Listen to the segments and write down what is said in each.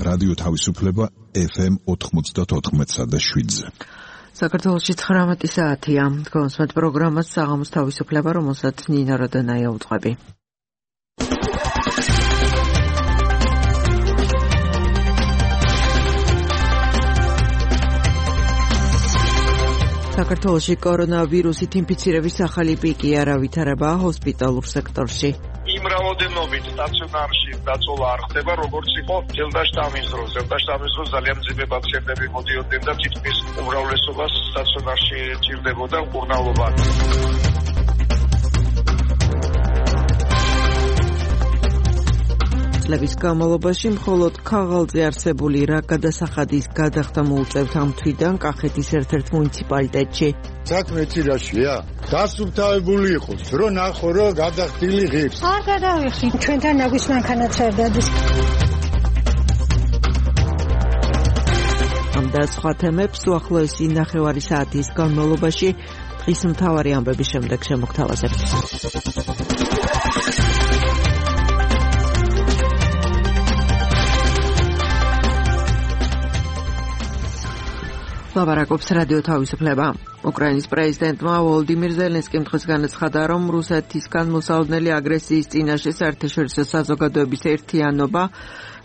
რადიო თავისუფლება FM 94.7-ზე. საქართველოში 19 საათია. გონსმეთ პროგრამას საღამოს თავისუფლება, რომელსაც ნინა როდანაია უძღვები. საქართველოში კორონავირუსით ინფიცირების ახალი პიკი არ ავითარება ჰოსპიტალურ სექტორში. იმ რაოდენობით სტაციონარში დაწოლა არ ხდება, როგორც იყო ზელდაშტამის დროს. ზელდაშტამის დროს ძალიან მძიმე პაციენტები მოდიოდნენ და თითქმის უმრავლესობას სტაციონარში ჭირდებოდა მკურნალობა. წლების განმავლობაში მხოლოდ ქაღალდზე არსებული რა გადასახადის გადახდა მოუწევთ ამ თვიდან კახეთის ერთ-ერთ მუნიციპალიტეტში. საქმე ცირაშია, დასუფთავებული იყოს, რომ ნახო, რომ გადახდილი ღირს. არ გადავიხი, ჩვენთან ნაგვის მანქანაც არ დადის. ამ და სხვა თემებს უახლოესი ნახევარი საათის განმავლობაში დღის მთავარი ამბების შემდეგ შემოგთავაზებთ. ლაბარაკობს რადიო თავისუფლება. უკრაინის პრეზიდენტმა ვოლოდიმირ ზელენსკიმ დღეს განაცხადა, რომ რუსეთისგან მოსალოდნელი აგრესიის წინაშე საერთაშორისო საზოგადოების ერთიანობა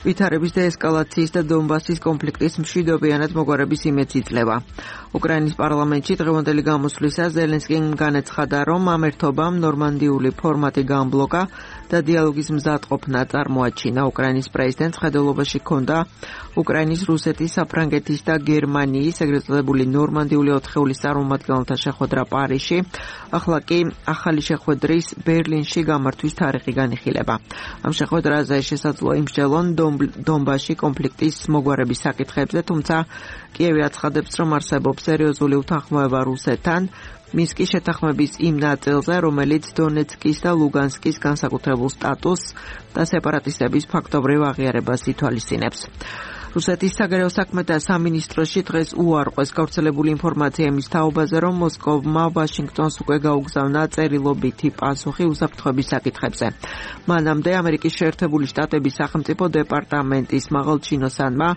ვითარების დეესკალაციის და დონბასის კონფლიქტის მშვიდობიანად მოგვარების იმედს იძლევა. უკრაინის პარლამენტში დღევანდელი გამოსვლისას ზელენსკიმ განაცხადა, რომ ამ ერთობამ ნორმანდიული ფორმატი განბლოკა და დიალოგის მზადყოფნა წარმოაჩინა. უკრაინის პრეზიდენტს ხედელობაში ჰქონდა უკრაინის, რუსეთის, საფრანგეთის და გერმანიის ეგრეთ წოდებული ნორმანდიული ოთხეულის წარმომადგენელთა შეხვედრა პარიზში. ახლა კი ახალი შეხვედრის ბერლინში გამართვის თარიღი განიხილება. ამ შეხვედრაზე შესაძლოა იმსჯელონ დონბასში კონფლიქტის მოგვარების საკითხებზე, თუმცა კიევი აცხადებს, რომ არსებობს სერიოზული უთანხმოება რუსეთთან მინსკის შეთანხმების იმ ნაწილზე, რომელიც დონეცკის და ლუგანსკის განსაკუთრებულ სტატუსს და სეპარატისტების ფაქტობრივ აღიარებას ითვალისწინებს. რუსეთის საგარეო საქმეთა სამინისტროში დღეს უარყვეს გავრცელებული ინფორმაცია იმის თაობაზე, რომ მოსკოვმა ვაშინგტონს უკვე გაუგზავნა წერილობითი პასუხი უსაფრთხოების საკითხებზე. მანამდე ამერიკის შეერთებული შტატების სახელმწიფო დეპარტამენტის მაღალჩინოსანმა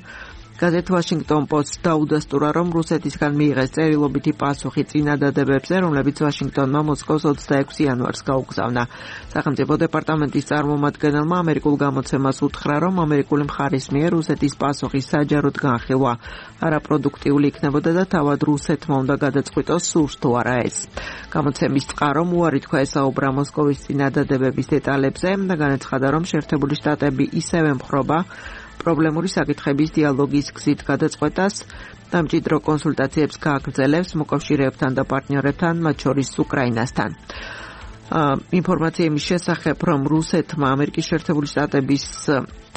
გაზეთ ვაშინგტონ პოსტს დაუდასტურა, რომ რუსეთისგან მიიღეს წერილობითი პასუხი წინადადებებზე, რომლებიც ვაშინგტონმა მოსკოვს 26 იანვარს გაუგზავნა. სახელმწიფო დეპარტამენტის წარმომადგენელმა ამერიკულ გამოცემას უთხრა, რომ ამერიკული მხარის მიერ რუსეთის პასუხის საჯაროდ განხილვა არაპროდუქტიული იქნებოდა და თავად რუსეთმა უნდა გადაწყვიტოს სურს თუ არა ეს. გამოცემის წყარომ უარი თქვა ესაუბრა მოსკოვის წინადადებების დეტალებზე და განაცხადა, რომ შეერთებული შტატები ისევე ემხრობა პრობლემური საკითხების დიალოგის გზით გადაწყვეტას და მჭიდრო კონსულტაციებს გააგრძელებს მოკავშირეებთან და პარტნიორებთან, მათ შორის უკრაინასთან. ინფორმაცია იმის შესახებ, რომ რუსეთმა ამერიკის შეერთებული შტატების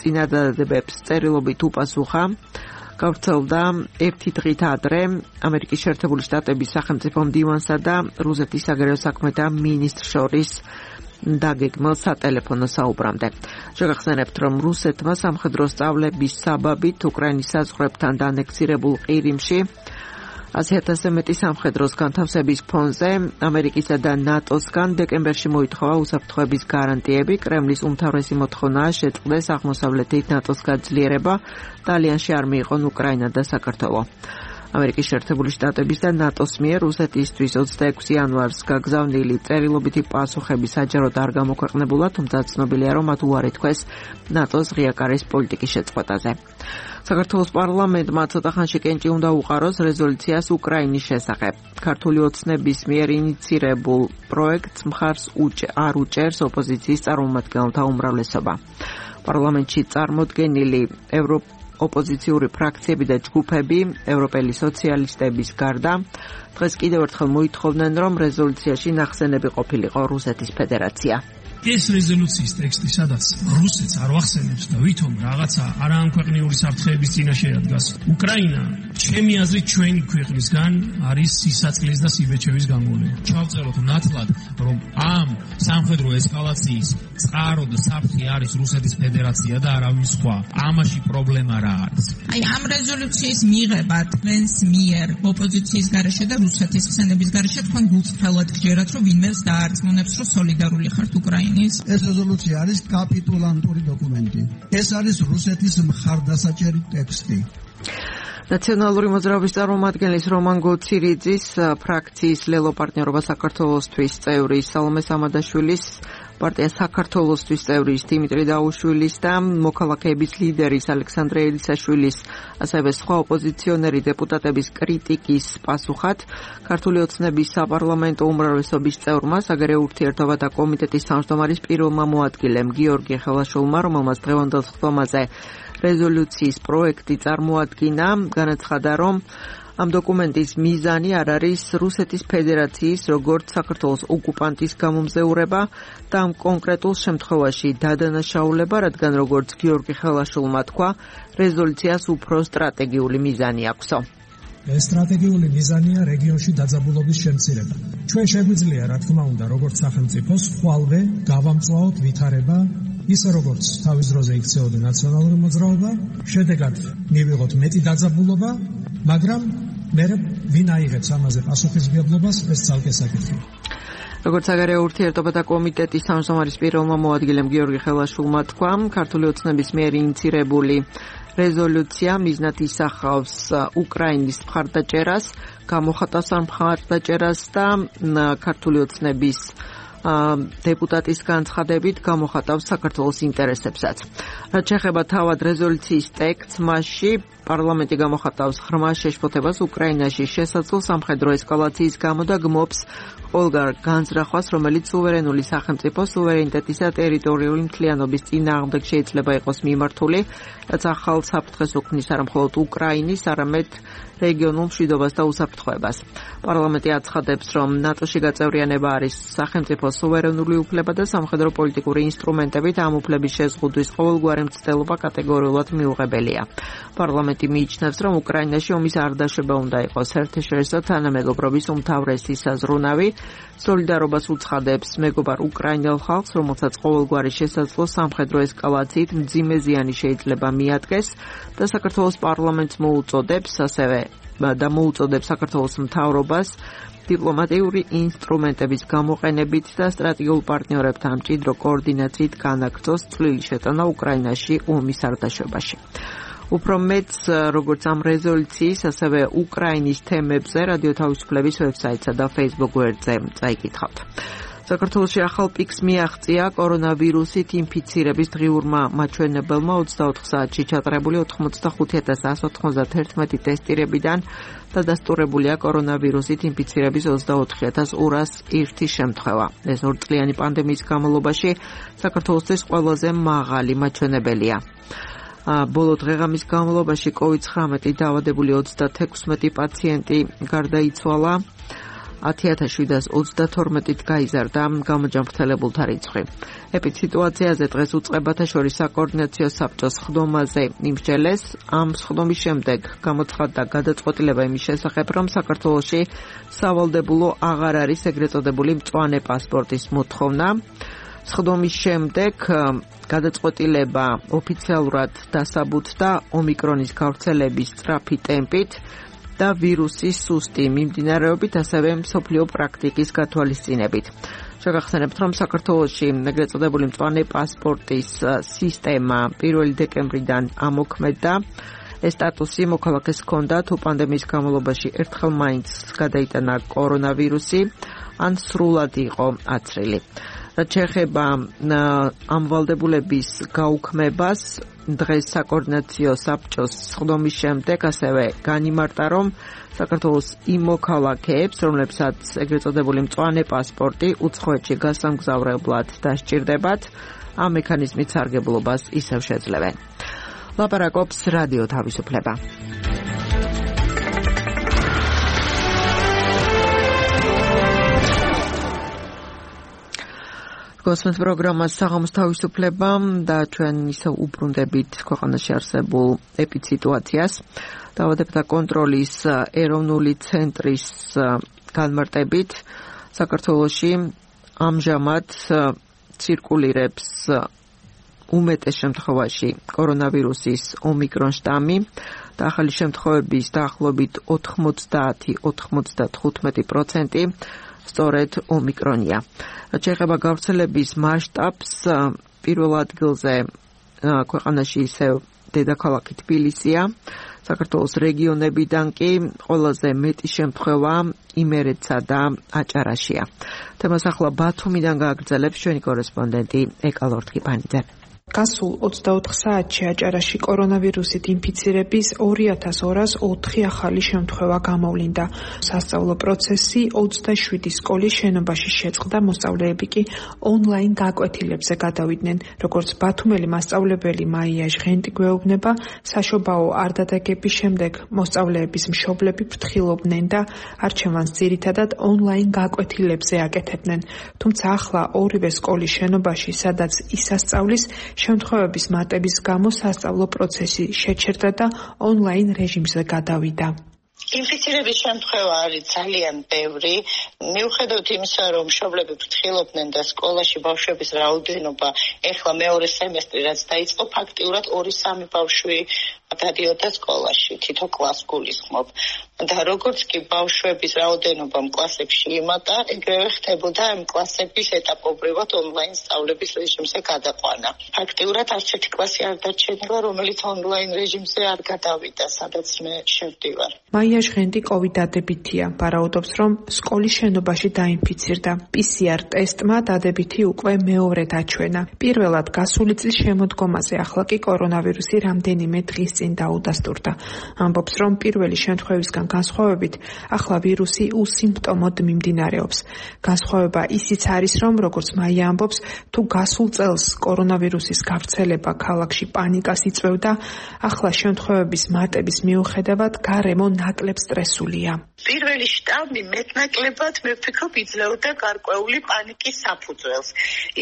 წინადადებებს წერილობით უპასუხა, გავრცელდა ერთი დღით ადრე ამერიკის შეერთებული შტატების სახელმწიფო მდივანსა და რუსეთის საგარეო საქმეთა მინისტრს შორის დაგეგმილ სატელეფონო საუბრამდე. შეგახსენებთ, რომ რუსეთმა სამხედრო სწავლების საბაბით უკრაინის საზღვრებთან დანექსირებულ ყირიმში 100,000-ზე მეტი სამხედროს განთავსების ფონზე ამერიკისა და ნატოსგან დეკემბერში მოითხოვა უსაფრთხოების გარანტიები. კრემლის უმთავრესი მოთხოვნაა შეწყდეს აღმოსავლეთით ნატოს გაძლიერება და ალიანსში არ მიიღონ უკრაინა და საქართველო. ამერიკის შეერთებული შტატების და ნატოს მიერ რუსეთისთვის 26 იანვარს გაგზავნილი წერილობითი პასუხები საჯაროდ არ გამოქვეყნებულა, თუმცა ცნობილია, რომ მათ უარი თქვეს ნატოს ღია კარის პოლიტიკის შეწყვეტაზე. საქართველოს პარლამენტმა ცოტა ხანში კენჭი უნდა უყაროს რეზოლუციას უკრაინის შესახებ. ქართული ოცნების მიერ ინიცირებულ პროექტს მხარს არ უჭერს ოპოზიციის წარმომადგენელთა უმრავლესობა. პარლამენტში წარმოდგენილი ოპოზიციური ფრაქციები და ჯგუფები, ევროპელი სოციალისტების გარდა, დღეს კიდევ ერთხელ მოითხოვდნენ, რომ რეზოლუციაში ნახსენები ყოფილიყო რუსეთის ფედერაცია. ეს რეზოლუციის ტექსტი, სადაც რუსეთს არ ვახსენებს და ვითომ რაღაცა არაამქვეყნიური საფრთხეების წინაშე ადგას. უკრაინა, ჩემი აზრით, ჩვენი ქვეყნისგან არის სისაწყლის და სიბეჭევის გამოვლენა. ჩავწეროთ ნათლად, რომ ამ სამხედრო ესკალაციის წყარო და საფრთხე არის რუსეთის ფედერაცია და არავინ სხვა. ამაში პრობლემა რა არის? აი, ამ რეზოლუციის მიღება თქვენს მიერ ოპოზიციის გარეშე და რუსეთის ხსენების გარეშე თქვენ გულწრფელად გჯერათ, რომ ვინმეს დაარწმუნებს, რომ სოლიდარული ხართ უკრაინას. უკრაინის. ეს რეზოლუცია არის კაპიტულანტური დოკუმენტი. ეს არის რუსეთის მხარდასაჭერი ტექსტი. ნაციონალური მოძრაობის წარმომადგენლის რომან გოცირიძის ფრაქციის ლელო პარტნიორობა საქართველოსთვის წევრი სალომე სამადაშვილის პარტია საქართველოსთვის წევრის დიმიტრი დაუშვილის და მოქალაქეების ლიდერის ალექსანდრე ელისაშვილის ასევე სხვა ოპოზიციონერი დეპუტატების კრიტიკის პასუხად ქართული ოცნების საპარლამენტო უმრავლესობის წევრმა საგარეო ურთიერთობათა კომიტეტის თავმჯდომარის პირველმა მოადგილემ გიორგი ხელაშვილმა რომელმაც დღევანდელ სხდომაზე რეზოლუციის პროექტი წარმოადგინა განაცხადა რომ ამ დოკუმენტის მიზანი არ არის რუსეთის ფედერაციის როგორც საქართველოს ოკუპანტის გამომზეურება და ამ კონკრეტულ შემთხვევაში დადანაშაულება, რადგან როგორც გიორგი ხელაშვილმა თქვა, რეზოლუციას უფრო სტრატეგიული მიზანი აქვსო. ეს სტრატეგიული მიზანია რეგიონში დაძაბულობის შემცირება. ჩვენ შეგვიძლია, რა თქმა უნდა, როგორც სახელმწიფოს ხვალვე გავამწვავოთ ვითარება ისე როგორც თავის დროზე იქცეოდა ნაციონალური მოძრაობა, შედეგად მივიღოთ მეტი დაძაბულობა, მაგრამ მე ვინ აიღებს ამაზე პასუხისმგებლობას, ეს ცალკე საკითხია. როგორც საგარეო ურთიერთობათა კომიტეტის თავმჯდომარის პირველმა მოადგილემ გიორგი ხელაშვილმა თქვა, ქართული ოცნების მიერ ინიცირებული რეზოლუცია მიზნად ისახავს უკრაინის მხარდაჭერას, გამოხატავს ამ მხარდაჭერას და ქართული ოცნების დეპუტატის განცხადებით გამოხატავს საქართველოს ინტერესებსაც. რაც შეეხება თავად რეზოლუციის ტექსტს, მასში პარლამენტი გამოხატავს ღრმა შეშფოთებას უკრაინაში შესაძლო სამხედრო ესკალაციის გამო და გმობს ყველგან განზრახვას, რომელიც სუვერენული სახელმწიფოს სუვერენიტეტისა და ტერიტორიული მთლიანობის წინააღმდეგ შეიძლება იყოს მიმართული, რაც ახალ საფრთხეს უქმნის არა მხოლოდ უკრაინის, არამედ რეგიონულ მშვიდობას და უსაფრთხოებას. პარლამენტი აცხადებს, რომ ნატოში გაწევრიანება არის სახელმწიფოს სუვერენული უფლება და სამხედრო პოლიტიკური ინსტრუმენტებით ამ უფლების შეზღუდვის ყოველგვარი მცდელობა კატეგორიულად მიუღებელია. პარლამენტი მიიჩნევს, რომ უკრაინაში ომის არ დაშვება უნდა იყოს საერთაშორისო თანამეგობრობის უმთავრესი საზრუნავი, სოლიდარობას უცხადებს მეგობარ უკრაინელ ხალხს, რომელსაც ყოველგვარი შესაძლო სამხედრო ესკალაციით მძიმე ზიანი შეიძლება მიადგეს და საქართველოს პარლამენტს მოუწოდებს საქართველოს მთავრობას დიპლომატიური ინსტრუმენტების გამოყენებით და სტრატეგიულ პარტნიორებთან მჭიდრო კოორდინაციით განაგრძოს წვლილი შეტანა უკრაინაში ომის არ დაშვებაში. უფრო მეც, როგორც ამ რეზოლუციის, ასევე უკრაინის თემებზე რადიო თავისუფლების ვებსაიტსა და Facebook გვერდზე წაიკითხავთ. საქართველოში ახალ პიკს მიაღწია კორონავირუსით ინფიცირების დღიურმა მაჩვენებელმა 24 საათში ჩატარებული 85,191 ტესტირებიდან დადასტურებულია კორონავირუსით ინფიცირების 24,201 შემთხვევა. ეს ორწლიანი პანდემიის განმავლობაში საქართველოსთვის ყველაზე მაღალი მაჩვენებელია. ბოლო დღეღამის განმავლობაში COVID-19 დაავადებული 36 პაციენტი გარდაიცვალა, 10,732-ით გაიზარდა გამოჯანმრთელებულთა რიცხვი. ეპიდსიტუაციაზე დღეს უწყებათა შორის საკოორდინაციო საბჭოს სხდომაზე იმსჯელეს. ამ სხდომის შემდეგ გამოცხადდა გადაწყვეტილება იმის შესახებ, რომ საქართველოში სავალდებულო აღარ არის ეგრეთ წოდებული მწვანე პასპორტის მოთხოვნა. სხდომის შემდეგ გადაწყვეტილება ოფიციალურად დასაბუთდა ომიკრონის გავრცელების სწრაფი ტემპით და ვირუსის სუსტი მიმდინარეობით, ასევე მსოფლიო პრაქტიკის გათვალისწინებით. შეგახსენებთ, რომ საქართველოში ეგრეთ წოდებული მწვანე პასპორტის სისტემა 1 დეკემბრიდან ამოქმედდა. ეს სტატუსი მოქალაქეს ჰქონდა თუ პანდემიის განმავლობაში ერთხელ მაინც გადაიტანა კორონავირუსი, ან სრულად იყო აცრილი. რაც შეეხება ამ ვალდებულების გაუქმებას, დღეს საკოორდინაციო საბჭოს სხდომის შემდეგ ასევე განიმარტა, რომ საქართველოს იმ მოქალაქეებს, რომლებსაც ეგრეთ წოდებული მწვანე პასპორტი უცხოეთში გასამგზავრებლად დასჭირდებათ, ამ მექანიზმით სარგებლობას ისევ შეძლებენ. ლაპარაკობს რადიო თავისუფლება. გოსმენთ პროგრამას საღამოს თავისუფლება და ჩვენ ისევ უბრუნდებით ქვეყანაში არსებულ ეპიდსიტუაციას. დაავადებათა კონტროლის ეროვნული ცენტრის განმარტებით საქართველოში ამჟამად ცირკულირებს უმეტეს შემთხვევაში კორონავირუსის ომიკრონ შტამი და ახალი შემთხვევების დაახლოებით 90-95% სწორედ ომიკრონია. რაც შეეხება გავრცელების მასშტაბს, პირველ ადგილზე ქვეყანაში ისევ დედაქალაქი თბილისია. საქართველოს რეგიონებიდან კი ყველაზე მეტი შემთხვევა იმერეთსა და აჭარაშია. თემას ახლა ბათუმიდან გააგრძელებს ჩვენი კორესპონდენტი ეკალორთქიპანიძე. გასულ 24 საათში აჭარაში კორონავირუსით ინფიცირების 2204 ახალი შემთხვევა გამოვლინდა. სასწავლო პროცესი 27 სკოლის შენობაში შეწყდა, მოსწავლეები კი ონლაინ გაკვეთილებზე გადავიდნენ. როგორც ბათუმელი მასწავლებელი მაია ჟღენტი გვეუბნება, საშობაო არდადეგების შემდეგ მოსწავლეების მშობლები ფრთხილობდნენ და არჩევანს ძირითადად ონლაინ გაკვეთილებზე აკეთებდნენ. თუმცა ახლა ორივე სკოლის შენობაში, სადაც ისასწავლის, შემთხვევების მატების გამო სასწავლო პროცესი შეჩერდა და ონლაინ რეჟიმზე გადავიდა. ინფიცირების შემთხვევა არის ძალიან ბევრი. მიუხედავად იმისა, რომ მშობლები ფრთხილობდნენ და სკოლაში ბავშვების რაოდენობა ეხლა მეორე სემესტრი რაც დაიწყო, ფაქტიურად 2-3 ბავშვი გადადიოდა სკოლაში, თითო კლასს გულისხმობ. და როგორც კი ბავშვების რაოდენობამ კლასებში იმატა, ეგრევე ხდებოდა ამ კლასების ეტაპობრივად ონლაინ სწავლების რეჟიმზე გადაყვანა. ფაქტიურად არც ერთი კლასი არ დარჩენილა, რომელიც ონლაინ რეჟიმზე არ გადავიდა, სადაც მე შევდივარ. მაია ჟღენტი კოვიდ დადებითია, ვარაუდობს, რომ სკოლის შენობაში დაინფიცირდა. PCR ტესტმა დადებითი უკვე მეორედ აჩვენა. პირველად გასული წლის შემოდგომაზე, ახლა კი კორონავირუსი რამდენიმე დღის წინ დაუდასტურდა. ამბობს, რომ პირველი შემთხვევისგან განსხვავებით, ახლა ვირუსი უსიმპტომოდ მიმდინარეობს. განსხვავება ისიც არის, რომ როგორც მაია ამბობს, თუ გასულ წელს კორონავირუსის გავრცელება ქალაქში პანიკას იწვევდა, ახლა შემთხვევების მატების მიუხედავად გარემო ნაკლებ სტრესულია. პირველი შტამი მეტნაკლებად მე ვფიქრობ იძლეოდა გარკვეული პანიკის საფუძველს.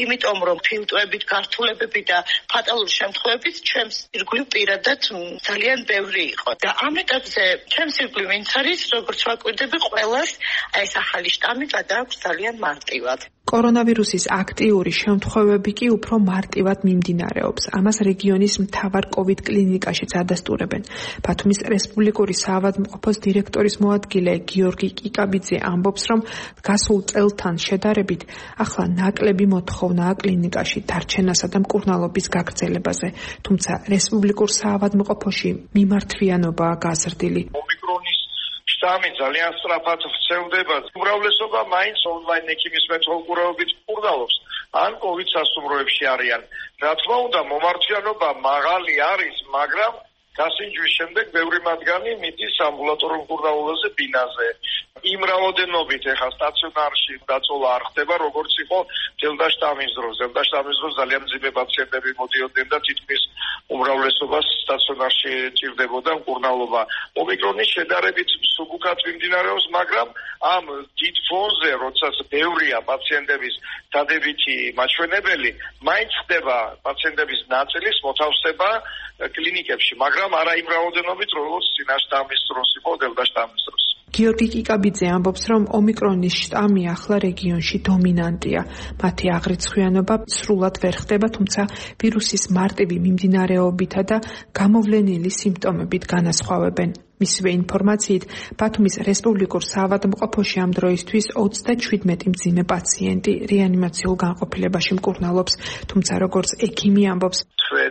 იმიტომ რომ ფილტვებით, გართულებები და ფატალური შემთხვევებით ჩვენს ირგვლივ პირადად ძალიან ბევრი იყო. და ამ ეტაპზე ჩვენს ირგვლივ ვინც არის, როგორც ვაკვირდები, ყველას ეს ახალი შტამი გადააქვს ძალიან მარტივად. კორონავირუსის აქტიური შემთხვევები კი უფრო მარტივად მიმდინარეობს. ამას რეგიონის მთავარ კოვიდ კლინიკაშიც ადასტურებენ. ბათუმის რესპუბლიკური საავადმყოფოს დირექტორის მოადგილე გიორგი კიკაბიძე ამბობს, რომ გასულ წელთან შედარებით ახლა ნაკლები მოთხოვნაა კლინიკაში დარჩენასა და მკურნალობის გაგრძელებაზე. თუმცა რესპუბლიკურ საავადმყოფოში მიმართვიანობაა გაზრდილი. შტამი ძალიან სწრაფად ვრცელდება. უმრავლესობა მაინც ონლაინ ექიმის მეთვალყურეობით მკურნალობს ან კოვიდ სასტუმროებში არიან. რა თქმა უნდა, მომართვიანობა მაღალი არის, მაგრამ გასინჯვის შემდეგ ბევრი მათგანი მიდის ამბულატორიულ მკურნალობაზე ბინაზე. იმ რაოდენობით ეხლა სტაციონარში დაწოლა არ ხდება, როგორც იყო დელტა შტამის დროს. დელტა შტამის დროს ძალიან მძიმე პაციენტები მოდიოდნენ და თითქმის უმრავლესობას სტაციონარში ჭირდებოდა მკურნალობა. ომიკრონის შედარებით სუბუქად მიმდინარეობს, მაგრამ ამ დიდ ფონზე, როდესაც ბევრია პაციენტების დადებითი მაჩვენებელი, მაინც ხდება პაციენტების ნაწილის მოთავსება კლინიკებში, მაგრამ არა იმ რაოდენობით, როგორც წინა შტამის დროს იყო დელტა შტამის დროს. გიორგი კიკაბიძე ამბობს, რომ ომიკრონის შტამი ახლა რეგიონში დომინანტია. მათი აღრიცხვიანობა სრულად ვერ ხდება, თუმცა ვირუსის მარტივი მიმდინარეობითა და გამოვლენილი სიმპტომებით განასხვავებენ. მისივე ინფორმაციით, ბათუმის რესპუბლიკურ საავადმყოფოში ამ დროისთვის 37 მძიმე პაციენტი რეანიმაციულ განყოფილებაში მკურნალობს, თუმცა როგორც ექიმი ამბობს,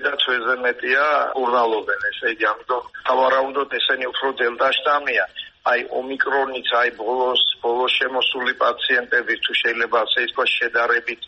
და თვეზე მეტია მკურნალობენ, ესე იგი, ამიტომ სავარაუდოდ ესენი უფრო დელტა შტამია. აი ომიკრონიც, აი ბოლოს შემოსული პაციენტები თუ შეიძლება ასე ითქვას შედარებით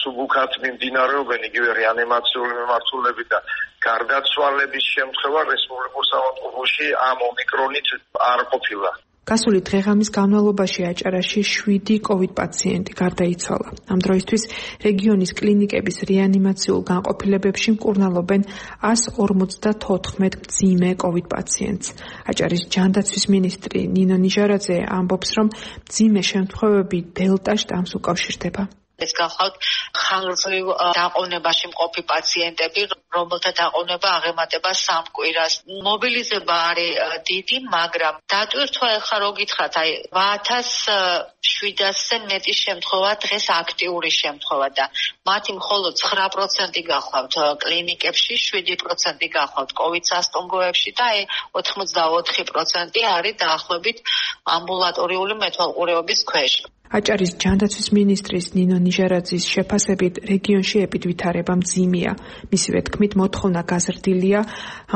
სუბუქად მიმდინარეობენ, იგივე რეანიმაციული მიმართულები და გარდაცვალების შემთხვევა რესპუბლიკურ საავადმყოფოში ამ ომიკრონით არ ყოფილა. გასული დღე-ღამის განმავლობაში აჭარაში 7 კოვიდ პაციენტი გარდაიცვალა. ამ დროისთვის რეგიონის კლინიკების რეანიმაციულ განყოფილებებში მკურნალობენ 154 მძიმე კოვიდ პაციენტს. აჭარის ჯანდაცვის მინისტრი ნინო ნიჟარაძე ამბობს, რომ მძიმე შემთხვევები დელტა შტამს უკავშირდება. ეს გახლავთ ხანგრძლივ დაყოვნებაში მყოფი პაციენტები, რომელთა დაყოვნება აღემატება 3 კვირას. მობილიზება არის დიდი, მაგრამ დატვირთვა ახლა რო გითხრათ, აი 8700-ზე მეტი შემთხვევა დღეს აქტიური შემთხვევა და მათი მხოლოდ 9% გახლავთ კლინიკებში, 7% გახლავთ კოვიდ სასტუმროებში და აი 84% არის დაახლოებით ამბულატორიული მეთვალყურეობის ქვეშ. აჭარის ჯანდაცვის მინისტრის ნინო ნიჟარაძის შეფასებით რეგიონში ეპიდვითარება მძიმეა. მისივე თქმით, მოთხოვნა გაზრდილია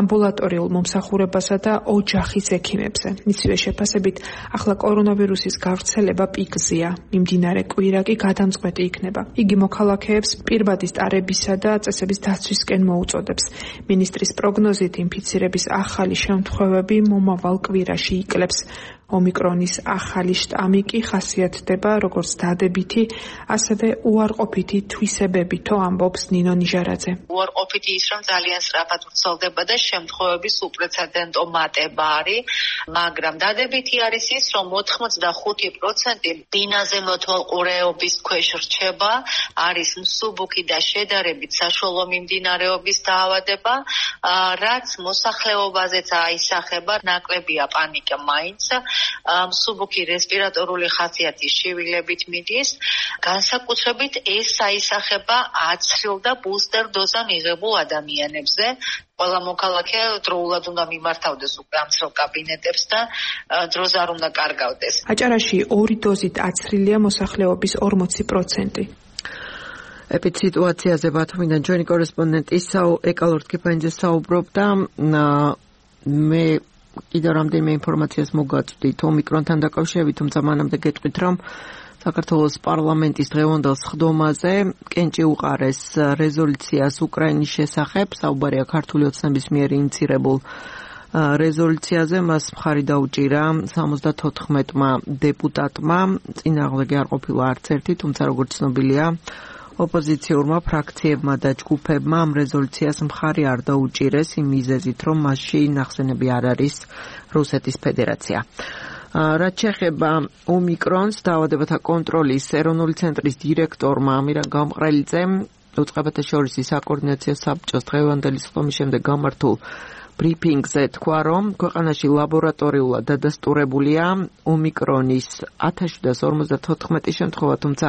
ამბულატორიულ მომსახურებასა და ოჯახის ექიმებზე. მისივე შეფასებით, ახლა კორონავირუსის გავრცელება პიკზეა. მიმდინარე კვირა კი გადამწყვეტი იქნება. იგი მოქალაქეებს პირბადი სტარებისა და წესების დაცვისკენ მოუწოდებს. მინისტრის პროგნოზით ინფიცირების ახალი შემთხვევები მომავალ კვირაში იკლებს. ომიკრონის ახალი შტამი კი ხასიათდება როგორც დადებითი, ასევე უარყოფითი თვისებებითო, ამბობს ნინო ნიჟარაძე. უარყოფითი ის, რომ ძალიან სწრაფად ვრცელდება და შემთხვევების უპრეცედენტო მატება არის, მაგრამ დადებითი არის ის, რომ 85% ბინაზე მოთვალყურეობის ქვეშ რჩება, არის მსუბუქი და შედარებით საშუალო მიმდინარეობის დაავადება, რაც მოსახლეობაზეც აისახება, ნაკლებია პანიკა მაინც. მსუბუქი რესპირატორული ხასიათის შივილებით მიდის, განსაკუთრებით ეს აისახება აცრილ და ბუსტერ დოზა მიღებულ ადამიანებზე. ყველა მოქალაქე დროულად უნდა მიმართავდეს უკვე ამცრელ კაბინეტებს და დროზე არ უნდა კარგავდეს. აჭარაში 2 დოზით აცრილია მოსახლეობის 40%. ეპიდსიტუაციაზე ბათუმიდან ჩვენი კორესპონდენტი ეკალორდ კიფანიძე საუბრობდა. მე კიდევ რამდენიმე ინფორმაციას მოგაწვდით ომიკრონთან დაკავშირებით, თუმცა მანამდე გეტყვით, რომ საქართველოს პარლამენტის დღევანდელ სხდომაზე კენჭი უყარეს რეზოლუციას უკრაინის შესახებ, საუბარია ქართული ოცნების მიერ ინიცირებულ რეზოლუციაზე, მას მხარი დაუჭირა 74-მა დეპუტატმა, წინააღმდეგი არ ყოფილა არც ერთი, თუმცა როგორც ცნობილია, ოპოზიციურმა ფრაქციებმა და ჯგუფებმა ამ რეზოლუციას მხარი არ დაუჭირეს იმ მიზეზით, რომ მასში ნახსენები არ არის რუსეთის ფედერაცია. რაც შეეხება ომიკრონს, დაავადებათა კონტროლის ეროვნული ცენტრის დირექტორმა ამირან გამყრელიძემ უწყებათა შორის საკოორდინაციო საბჭოს დღევანდელი სხდომის შემდეგ გამართულ ბრიფინგზე თქვა, რომ ქვეყანაში ლაბორატორიულად დადასტურებულია ომიკრონის 1754 შემთხვევა, თუმცა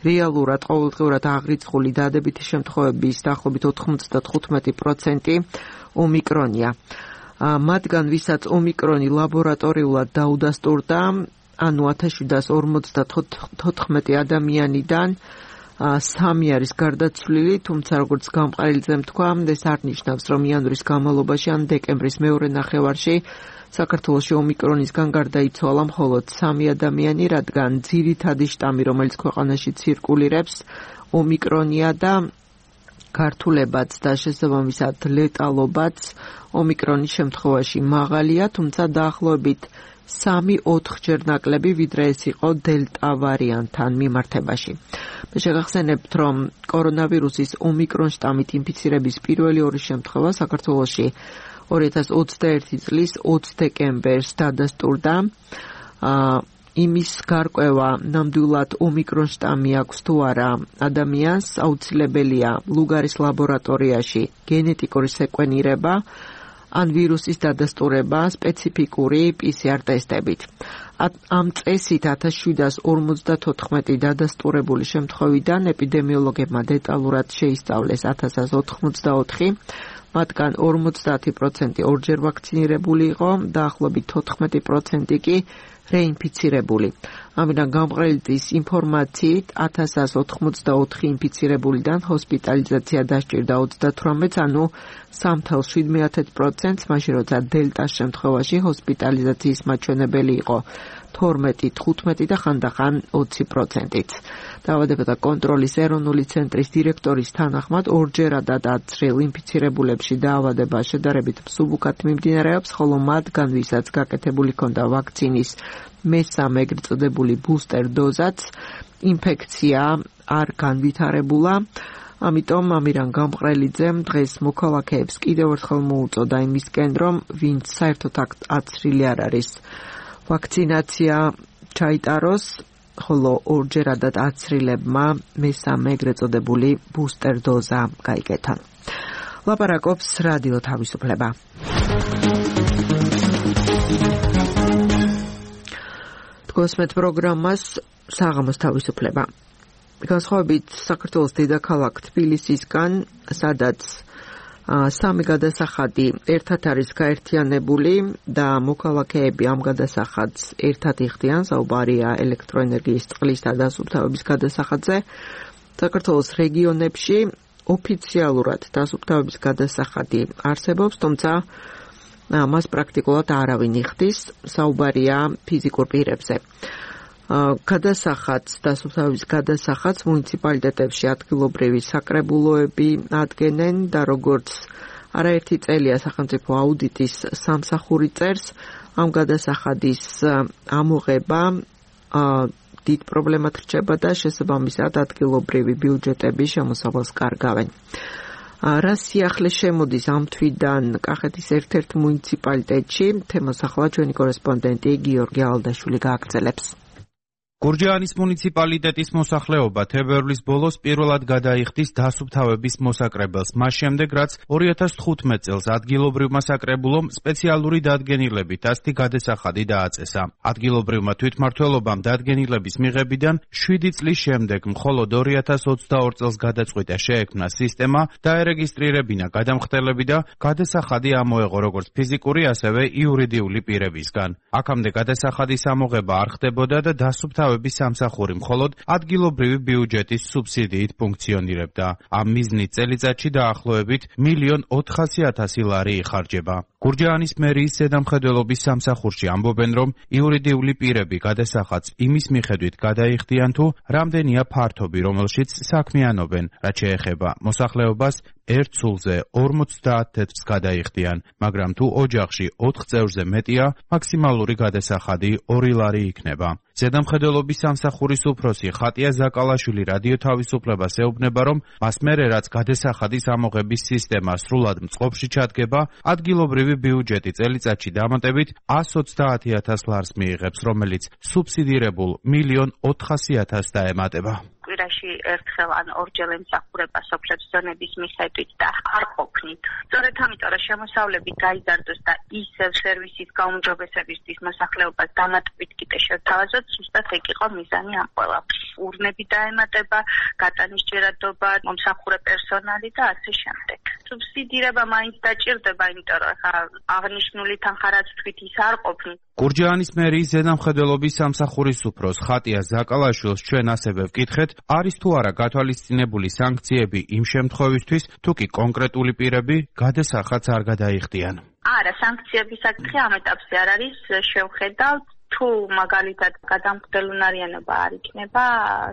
რეალურად ყოველდღიურად აღრიცხული დადებითი შემთხვევების დაახლოებით 95% ომიკრონია. მათგან ვისაც ომიკრონი ლაბორატორიულად დაუდასტურდა, ანუ 1754 ადამიანიდან 3 არის გარდაცვლილი, თუმცა როგორც გამყრელიძემ თქვა, ეს არ ნიშნავს, რომ იანვრის განმავლობაში ან დეკემბრის მეორე ნახევარში საქართველოში ომიკრონისგან გარდაიცვალა მხოლოდ 3 ადამიანი, რადგან ძირითადი შტამი, რომელიც ქვეყანაში ცირკულირებს, ომიკრონია და ქართულებაც და შესაბამისად ლეტალობაც ომიკრონის შემთხვევაში მაღალია, თუმცა დაახლოებით 3-4 ჯერ ნაკლები, ვიდრე ეს იყო დელტა ვარიანტთან მიმართებაში. მე შეგახსენებთ, რომ კორონავირუსის ომიკრონ შტამით ინფიცირების პირველი 2 შემთხვევა საქართველოში 2021 წლის 20 დეკემბერს დადასტურდა. იმის გარკვევა ნამდვილად ომიკრონ შტამი აქვს თუ არა ადამიანს, აუცილებელია ლუგარის ლაბორატორიაში გენეტიკური სეკვენირება ან ვირუსის დადასტურება სპეციფიკური PCR ტესტებით. ამ წესით 1754 დადასტურებული შემთხვევიდან ეპიდემიოლოგებმა დეტალურად შეისწავლეს 1184, მათგან 50% ორჯერ ვაქცინირებული იყო, დაახლოებით 14% კი რეინფიცირებული. ამიტომ გამყრელიძის ინფორმაციით 1184 ინფიცირებულიდან ჰოსპიტალიზაცია დასჭირდა 38-ს, ანუ 3.7%, მაშინ როცა დელტას შემთხვევაში ჰოსპიტალიზაციის მაჩვენებელი იყო 12, 15 და ხანდახან 20%-იც. დაავადებათა კონტროლის ეროვნული ცენტრის დირექტორის თანახმად, ორჯერადად აცრილ ინფიცირებულებში დაავადება შედარებით მსუბუქად მიმდინარეობს, ხოლო მათგან, ვისაც გაკეთებული ჰქონდა ვაქცინის მესამე ეგრეთ წოდებული ბუსტერ დოზაც, ინფექცია არ განვითარებულა. ამიტომ ამირან გამყრელიძემ დღეს მოქალაქეებს კიდევ ერთხელ მოუწოდა იმისკენ, რომ ვინც საერთოდ აცრილი არ არის, ვაქცინაცია ჩაიტაროს, ხოლო ორჯერადად აცრილებმა მესამე ეგრეთ წოდებული ბუსტერ დოზა გაიგეთონ. ლაპარაკობს რადიო თავისუფლება. გოსმეთ პროგრამას საღამოს თავისუფლება. განსხვავებით საქართველოს დედაქალაქ თბილისისგან, სადაც სამი გადასახადი ერთად არის გაერთიანებული და მოქალაქეები ამ გადასახადს ერთად იხდიან, საუბარია ელექტროენერგიის, წყლის და დასუფთავების გადასახადზე. საქართველოს რეგიონებში ოფიციალურად დასუფთავების გადასახადი არსებობს, თუმცა მას პრაქტიკულად არავინ იხდის, საუბარია ფიზიკურ პირებზე. გადასახადს, დასუფთავების გადასახადს მუნიციპალიტეტებში ადგილობრივი საკრებულოები ადგენენ და როგორც არაერთი წელია სახელმწიფო აუდიტის სამსახური წერს, ამ გადასახადის ამოღება დიდ პრობლემად რჩება და შესაბამისად ადგილობრივი ბიუჯეტები შემოსავალს კარგავენ. რა სიახლე შემოდის ამ თვიდან კახეთის ერთ-ერთ მუნიციპალიტეტში, თემას ახლა ჩვენი კორესპონდენტი გიორგი ალდაშვილი გააგრძელებს. გურჯაანის მუნიციპალიტეტის მოსახლეობა თებერვლის ბოლოს პირველად გადაიხდის დასუფთავების მოსაკრებელს, მას შემდეგ რაც 2015 წელს ადგილობრივმა საკრებულომ სპეციალური დადგენილებით ასეთი გადასახადი დააწესა. ადგილობრივმა თვითმმართველობამ დადგენილების მიღებიდან 7 წლის შემდეგ მხოლოდ 2022 წელს გადაწყვიტა შეექმნა სისტემა, დაერეგისტრირებინა გადამხდელები და გადასახადი ამოეღო როგორც ფიზიკური, ასევე იურიდიული პირებისგან. აქამდე გადასახადის ამოღება არ ხდებოდა და დასუფთავების სამსახური მხოლოდ ადგილობრივი ბიუჯეტის სუბსიდიით ფუნქციონირებდა. ამ მიზნით წელიწადში დაახლოებით 1.4 მილიონ ლარი იხარჯება. გურჯაანის მერიის ზედამხედველობის სამსახურში ამბობენ, რომ იურიდიული პირები გადასახადს იმის მიხედვით გადაიხდიან თუ რამდენია ფართობი, რომელშიც საქმიანობენ, რაც შეეხება მოსახლეობას ერთ სულზე 50 თეთრს გადაიხდიან, მაგრამ თუ ოჯახში 4 წევრზე მეტია, მაქსიმალური გადასახადი 2 ლარი იქნება. ზედამხედველობის სამსახურის უფროსი ხატია ზაკალაშვილი რადიო თავისუფლებას ეუბნება, რომ მას მერე რაც გადასახადის ამოღების სისტემა სრულად მწყობში ჩადგება, ადგილობრივი ბიუჯეტი წელიწადში დამატებით 130,000 ლარს მიიღებს, რომელიც სუბსიდირებულ 1.4 მილიონ დაემატება. კვირაში ერთხელ ან ორჯერ ემსახურება სოფლებს ზონების მიხედვით და არ ყოფნით. სწორედ ამიტომ რომ შემოსავლები გაიზარდოს და ისევ სერვისის გაუმჯობესებისთვის მოსახლეობას დამატებით კიდე შევთავაზოთ, ზუსტად ეგ იყო მიზანი ამ ყველაფრის. ურნები დაემატება, გატანის ჭირადობა, მომსახურე პერსონალი და ასე შემდეგ. სუბსიდირება მაინც დაჭირდება, იმიტომ რომ აღნიშნული თანხა რაც თქვით ის არ ყოფნით. გურჯაანის მერიის ზედამხედველობის სამსახურის უფროს ხატია ზაკალაშვილს ჩვენ ასევე ვკითხეთ, არის თუ არა გათვალისწინებული სანქციები იმ შემთხვევისთვის, თუ კი კონკრეტული პირები გადასახადს არ გადაიხდიან. არა, სანქციების საკითხი ამ ეტაპზე არ არის, შევხედავთ. თუ მაგალითად გადამხდელუნარიანობა არ იქნება,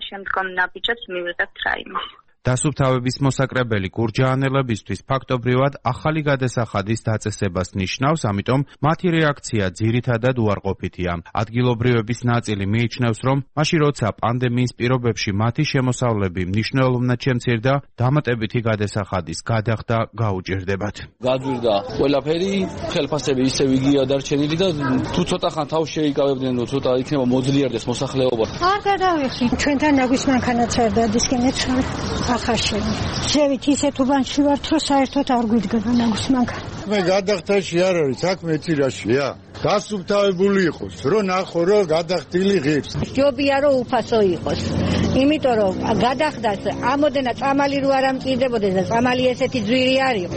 შემდგომ ნაბიჯებს მივიღებთ რაიმეს. დასუფთავების მოსაკრებელი გურჯაანელებისთვის ფაქტობრივად ახალი გადასახადის დაწესებას ნიშნავს, ამიტომ მათი რეაქცია ძირითადად უარყოფითია. ადგილობრივების ნაწილი მიიჩნევს, რომ მაშინ როცა პანდემიის პირობებში მათი შემოსავლები მნიშვნელოვნად შემცირდა, დამატებითი გადასახადის გადახდა გაუჭირდებათ. გაძვირდა ყველაფერი, ხელფასები ისევ იგია დარჩენილი და თუ ცოტა ხან თავს შეიკავებდნენ, რომ ცოტა იქნება მოძლიერდეს მოსახლეობა. არ გადავიხი, ჩვენთან ნაგვის მანქანაწერდა დისკინეც ახარშენი. შევით ისეთ უბანში ვართ, რომ საერთოდ არ გვიდგება ნაგვის მანქანა. მე გადახდაში არ არის, საქმე ეცირაშია. დასუფთავებული იყოს, რომ ნახო, რომ გადახდილი ღირს. ჯობია რომ უფასო იყოს. იმიტომ რომ გადახდას ამოდენა წამალი რო არ ამჭირდებოდეს და წამალი ესეთი ძვირი არის.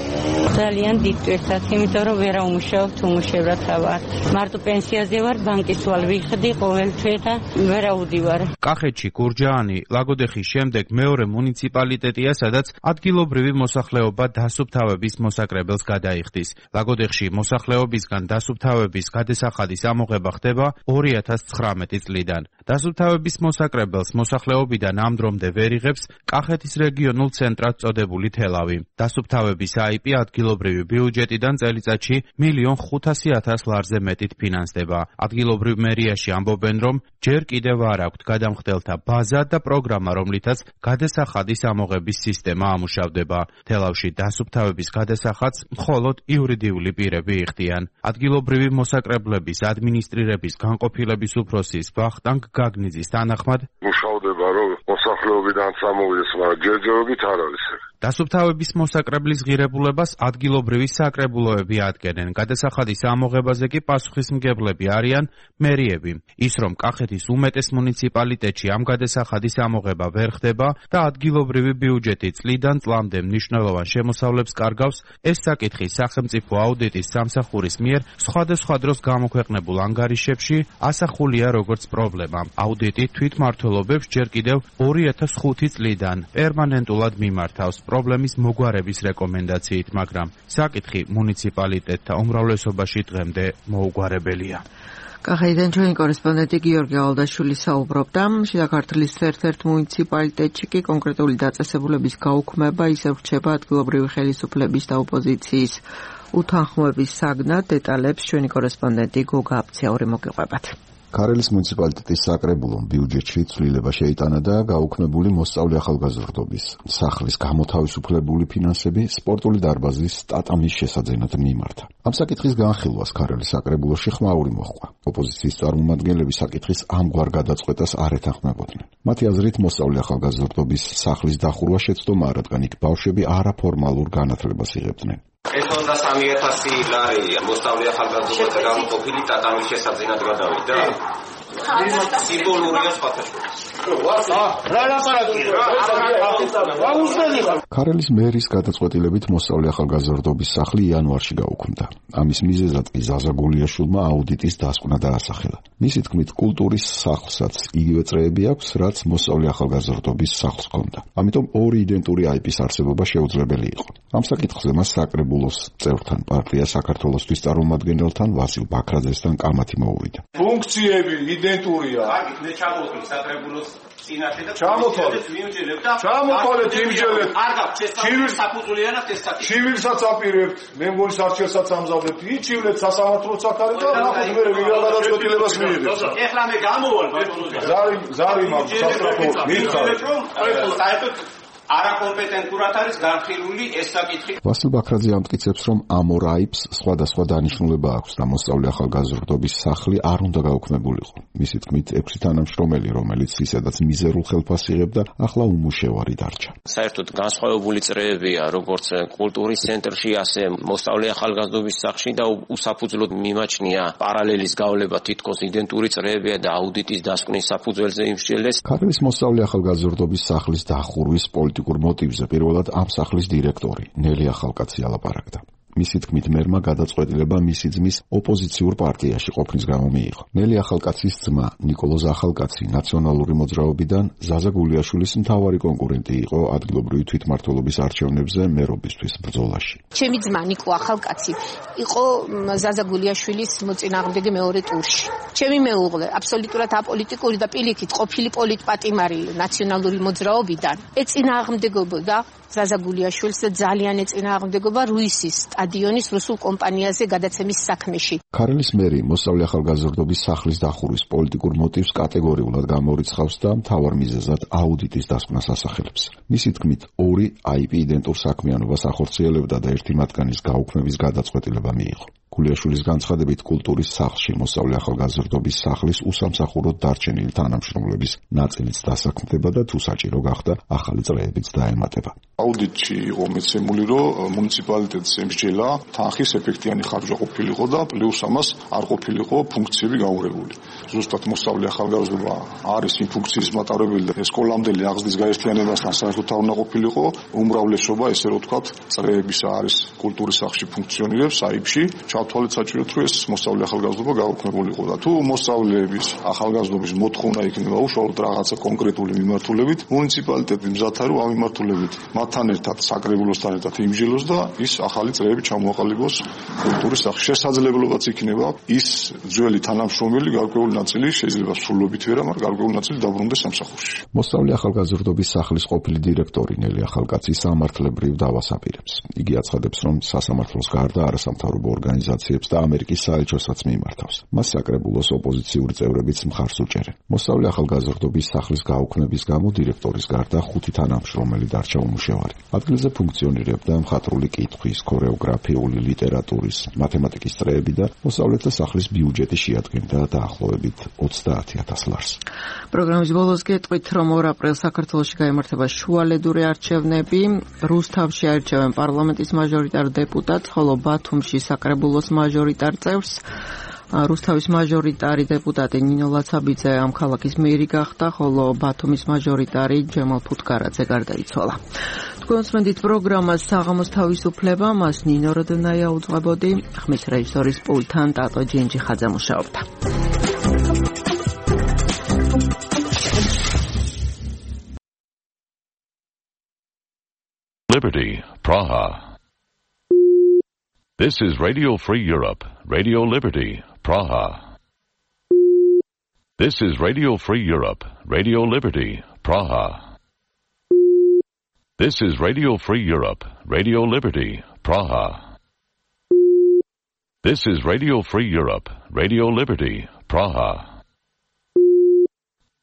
ძალიან დიდ ტვირთად, იმიტომ რომ ვერა უმუშაობთ, უმუშევრად ვარ. მარტო პენსიაზე ვარ, ბანკის ვალ ვიხდი ყოველ თვე და ვერა უდივარ. კახეთში გურჯაანი ლაგოდეხის შემდეგ მეორე მუნიციპალიტეტია, სადაც ადგილობრივი მოსახლეობა დასუფთავების მოსაკრებელს გადაიხდის. ლაგოდეხში მოსახლეობისგან დასუფთავების გადასახადის ამოღება ხდება 2019 წლიდან. დასუფთავების მოსაკრებელს მოსახლეობიდან ამ დრომდე ვერ იღებს კახეთის რეგიონულ ცენტრად წოდებული თელავი. დასუფთავების IP ადგილობრივი ბიუჯეტიდან წელიწადში 1.5 მილიონ ლარზე მეტით ფინანსდება. ადგილობრივ მერიაში ამბობენ, რომ ჯერ კიდევ არ აქვთ გადამხდელთა ბაზა და პროგრამა, რომლითაც გადასახადის ამოღების სისტემა ამუშავდება. თელავში დასუფთავების გადასახადს მხოლოდ იურიდიული პირები იხდიან. ადგილობრივი მოსაკრებლების ადმინისტრირების განყოფილების უფროსის ვახტანგ გაგნიძის თანახმად მუშავდება, რომ მოსახლეობიდან სამოვიდეს, მაგრამ ჯერჯერობით არ არის. დასუფთავების მოსაკრებლის ღირებულებას ადგილობრივი საკრებულოები ადგენენ. გადასახადის ამოღებაზე კი პასუხისმგებლები არიან მერიები. ის, რომ კახეთის უმეტეს მუნიციპალიტეტში ამ გადასახადის ამოღება ვერ ხდება და ადგილობრივი ბიუჯეტი წლიდან წლამდე მნიშვნელოვან შემოსავლებს კარგავს, ეს საკითხი სახელმწიფო აუდიტის სამსახურის მიერ სხვადასხვა დროს გამოქვეყნებულ ანგარიშებში ასახულია როგორც პრობლემა. აუდიტი თვითმმართველობებს ჯერ კიდევ 2005 წლიდან პერმანენტულად მიმართავს პრობლემის მოგვარების რეკომენდაციით, მაგრამ საკითხი მუნიციპალიტეტთა უმრავლესობაში დღემდე მოუგვარებელია. კახეთიდან ჩვენი კორესპონდენტი გიორგი ალდაშვილი საუბრობდა. შიდა ქართლის ერთ-ერთ მუნიციპალიტეტში კი კონკრეტული დაწესებულების გაუქმება ისევ რჩება ადგილობრივი ხელისუფლების და ოპოზიციის უთანხმოების საგნად. დეტალებს ჩვენი კორესპონდენტი გოგა აბცაური მოგიყვებათ. ქარელის მუნიციპალიტეტის საკრებულომ ბიუჯეტში ცვლილება შეიტანა და გაუქმებული მოსწავლე ახალგაზრდობის სახლის გამოთავისუფლებული ფინანსები სპორტული დარბაზის ტატამის შესაძენად მიმართა. ამ საკითხის განხილვას ქარელის საკრებულოში ხმაური მოჰყვა. ოპოზიციის წარმომადგენლები საკითხის ამგვარ გადაწყვეტას არ ეთანხმებოდნენ. მათი აზრით მოსწავლე ახალგაზრდობის სახლის დახურვა შეცდომა, რადგან იქ ბავშვები არაფორმალურ განათლებას იღებდნენ. ეს უნდა 3000 ლარი მოსწავლე ახალგაზრდობათა გამოყოფილი ტატამის შესაძენად გადავიდა. სიმბოლურია სხვათაშორის. ქარელის მერის გადაწყვეტილებით მოსწავლე ახალგაზრდობის სახლი იანვარში გაუქმდა. ამის მიზეზად კი ზაზა გულიაშვილმა აუდიტის დასკვნა დაასახელა. მისი თქმით, კულტურის სახლსაც იგივე წრეები აქვს, რაც მოსწავლე ახალგაზრდობის სახლს ჰქონდა. ამიტომ ორი იდენტური IP-ის არსებობა შეუძლებელი იყო. ამ საკითხზე მას საკრებულოს წევრთან პარტია საქართველოსთვის წარმომადგენელთან ვასილ ბაქრაძესთან კამათი მოუვიდა. ფუნქციები იდენტურია. კარგი, მე ჩამოვთვლი საკრებულოს წინაშე და ჩამოთვალეთ იმჯელეთ. არ გაქვს შესაძლებელი საფუძვლიანად ეს საკითხი. ჩივილსაც აპირებთ, მე მგონი არჩევსაც ამზადებთ. იჩივლეთ სასამართლოც აქ არის და ნახოთ მე ვიღა გადაწყვეტილებას მიიღებს. ეხლა მე გამოვალ ბატონო. ზარი მაქვს სასტრაფო მიხარით. საერთოდ არაკომპეტენტურად არის განხილული ეს საკითხი. ვასილ ბაქრაძე ამტკიცებს, რომ ამ ორ აიპს სხვადასხვა დანიშნულება აქვს და მოსწავლე ახალგაზრდობის სახლი არ უნდა გაუქმებულიყო. მისი თქმით, 6 თანამშრომელი, რომელიც ისედაც მიზერულ ხელფასს იღებდა, ახლა უმუშევარი დარჩა. საერთოდ განსხვავებული წრეებია, როგორც კულტურის ცენტრში, ასე მოსწავლე ახალგაზრდობის სახლში და უსაფუძვლოდ მიმაჩნია პარალელის გავლება, თითქოს იდენტური წრეებია და აუდიტის დასკვნის საფუძველზე იმსჯელეს. ქარელის მოსწავლე ახალგაზრდობის სახლის დახურვის პოლიტიკურ მოტივზე პირველად ამ სახლის დირექტორი ნელი ახალკაცი ალაპარაკდა. მისი თქმით, მერმა გადაწყვეტილება მისი ძმის ოპოზიციურ პარტიაში ყოფნის გამო მიიღო. ნელი ახალკაცის ძმა ნიკოლოზ ახალკაცი ნაციონალური მოძრაობიდან ზაზა გულიაშვილის მთავარი კონკურენტი იყო ადგილობრივი თვითმმართველობის არჩევნებზე მერობისთვის ბრძოლაში. ჩემი ძმა ნიკო ახალკაცი იყო ზაზა გულიაშვილის მოწინააღმდეგე მეორე ტურში. ჩემი მეუღლე აბსოლუტურად აპოლიტიკური და პირიქით ყოფილი პოლიტპატიმარი ნაციონალური მოძრაობიდან ეწინააღმდეგებოდა ზაზა გულიაშვილს ძალიან ეწინააღმდეგობა რუისის სტადიონის რუსულ კომპანიაზე გადაცემის საქმეში. ქარელის მერი მოსწავლე ახალგაზრდობის სახლის დახურვის პოლიტიკურ მოტივს კატეგორიულად გამორიცხავს და მთავარ მიზეზად აუდიტის დასკვნას ასახელებს. მისი თქმით, ორი IP იდენტურ საქმიანობას ახორციელებდა და ერთი მათგანის გაუქმების გადაწყვეტილება მიიღო. გულიაშვილის განცხადებით, კულტურის სახლში მოსწავლე ახალგაზრდობის სახლის უსამსახუროდ დარჩენილი თანამშრომლების ნაწილიც დასაქმდება და თუ საჭირო გახდა, ახალი წრეებიც დაემატება. აუდიტში იყო მეცემული, რომ მუნიციპალიტეტს ემსჯელა თანხის ეფექტიანი ხარჯვა ყოფილიყო და პლუს ამას არ ყოფილიყო ფუნქციები გაურებული. ზუსტად მოსწავლე ახალგაზრდობა არის იმ ფუნქციის მატარებელი და სკოლამდელი აღზრდის გაერთიანებასთან საერთოდ არ უნდა ყოფილიყო. უმრავლესობა, ესე რომ ვთქვათ, წრეების არის კულტურის სახლში ფუნქციონირებს აიფში. ჩავთვალეთ საჭიროდ, რომ ეს მოსწავლე ახალგაზრდობა გაუქმებულიყო და თუ მოსწავლეების ახალგაზრდობის მოთხოვნა იქნება უშუალოდ რაღაცა კონკრეტული მიმართულებით, მუნიციპალიტეტი მზად არის ამ მიმართულებით მათთან ერთად საკრებულოსთან ერთად იმჯელოს და ის ახალი წრეები ჩამოაყალიბოს კულტურის სახლში. შესაძლებლობაც იქნება ის ძველი თანამშრომელი გარკვეული ნაწილი შეიძლება სრულობით ვერა, მაგრამ გარკვეული ნაწილი დაბრუნდეს სამსახურში. მოსწავლე ახალგაზრდობის სახლის ყოფილი დირექტორი ნელი ახალკაცი სამართლებრივ დავას აპირებს. იგი აცხადებს, რომ სასამართლოს გარდა არასამთავრობო ორგანიზაციები დემონსტრაციებს და ამერიკის საელჩოსაც მიმართავს. მას საკრებულოს ოპოზიციური წევრებიც მხარს უჭერენ. მოსწავლე ახალგაზრდობის სახლის გაუქმების გამო დირექტორის გარდა 5 თანამშრომელი დარჩა უმუშევარი. ადგილზე ფუნქციონირებდა მხატვრული კითხვის, ქორეოგრაფიული, ლიტერატურის, მათემატიკის წრეები და მოსწავლეთა სახლის ბიუჯეტი შეადგენდა დაახლოებით 30,000 ლარს. პროგრამის ბოლოს გეტყვით, რომ 2 აპრილს საქართველოში გაიმართება შუალედური არჩევნები. რუსთავში აირჩევენ პარლამენტის მაჟორიტარ დეპუტატს, ხოლო ბათუმში საკრებულოს მაჟორიტარ წევრს. რუსთავის მაჟორიტარი დეპუტატი ნინო ლაცაბიძე ამ ქალაქის მერი გახდა, ხოლო ბათუმის მაჟორიტარი ჯემალ ფუტკარაძე გარდაიცვალა. თქვენ უსმენთ პროგრამას საღამოს თავისუფლება, მას ნინო როდონაია უძღვებოდი, ხმის რეჟისორის პულტთან ტატო ჯინჯიხაძე მუშაობდა. Liberty, Praha. This is Radio Free Europe, Radio Liberty, Praha. This is Radio Free Europe, Radio Liberty, Praha. This is Radio Free Europe, Radio Liberty, Praha. This is Radio Free Europe, Radio Liberty, Praha.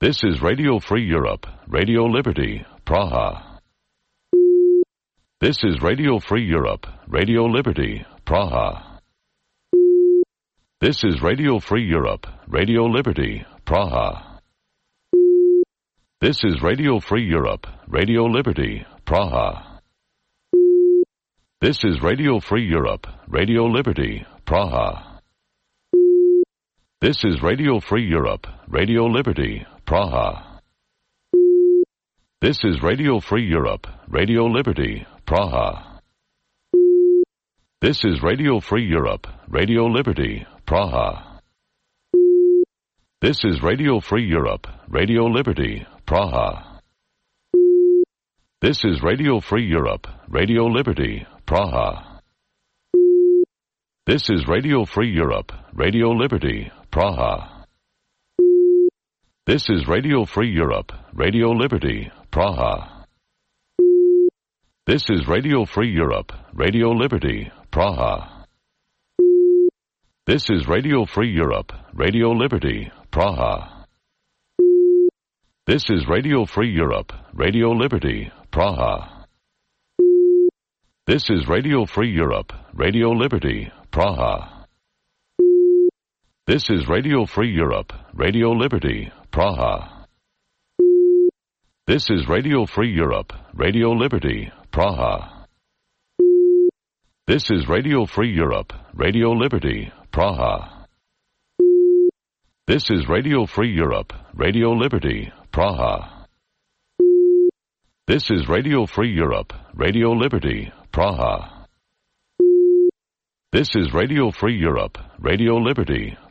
This is Radio Free Europe, Radio Liberty, Praha. This is Radio Free Europe, Radio Liberty, Praha. This is Radio Free Europe, Radio Liberty, Praha. This is Radio Free Europe, Radio Liberty, Praha. This is Radio Free Europe, Radio Liberty, Praha. This is Radio Free Europe, Radio Liberty, Praha. This is Radio Free Europe, Radio Liberty, Praha. This is Radio Free Europe, Radio Liberty, Praha. This is Radio Free Europe, Radio Liberty, Praha. This is Radio Free Europe, Radio Liberty, Praha. This is Radio Free Europe, Radio Liberty, Praha. This is Radio Free Europe, Radio Liberty, Praha. This is Radio Free Europe, Radio Liberty, Praha. This is Radio Free Europe, Radio Liberty, Praha. This is Radio Free Europe, Radio Liberty, Praha. This is Radio Free Europe, Radio Liberty, Praha. This is Radio Free Europe, Radio Liberty, Praha. This is Radio Free Europe, Radio Liberty, Praha. This is Radio Free Europe, Radio Liberty, Praha. This is Radio Free Europe, Radio Liberty,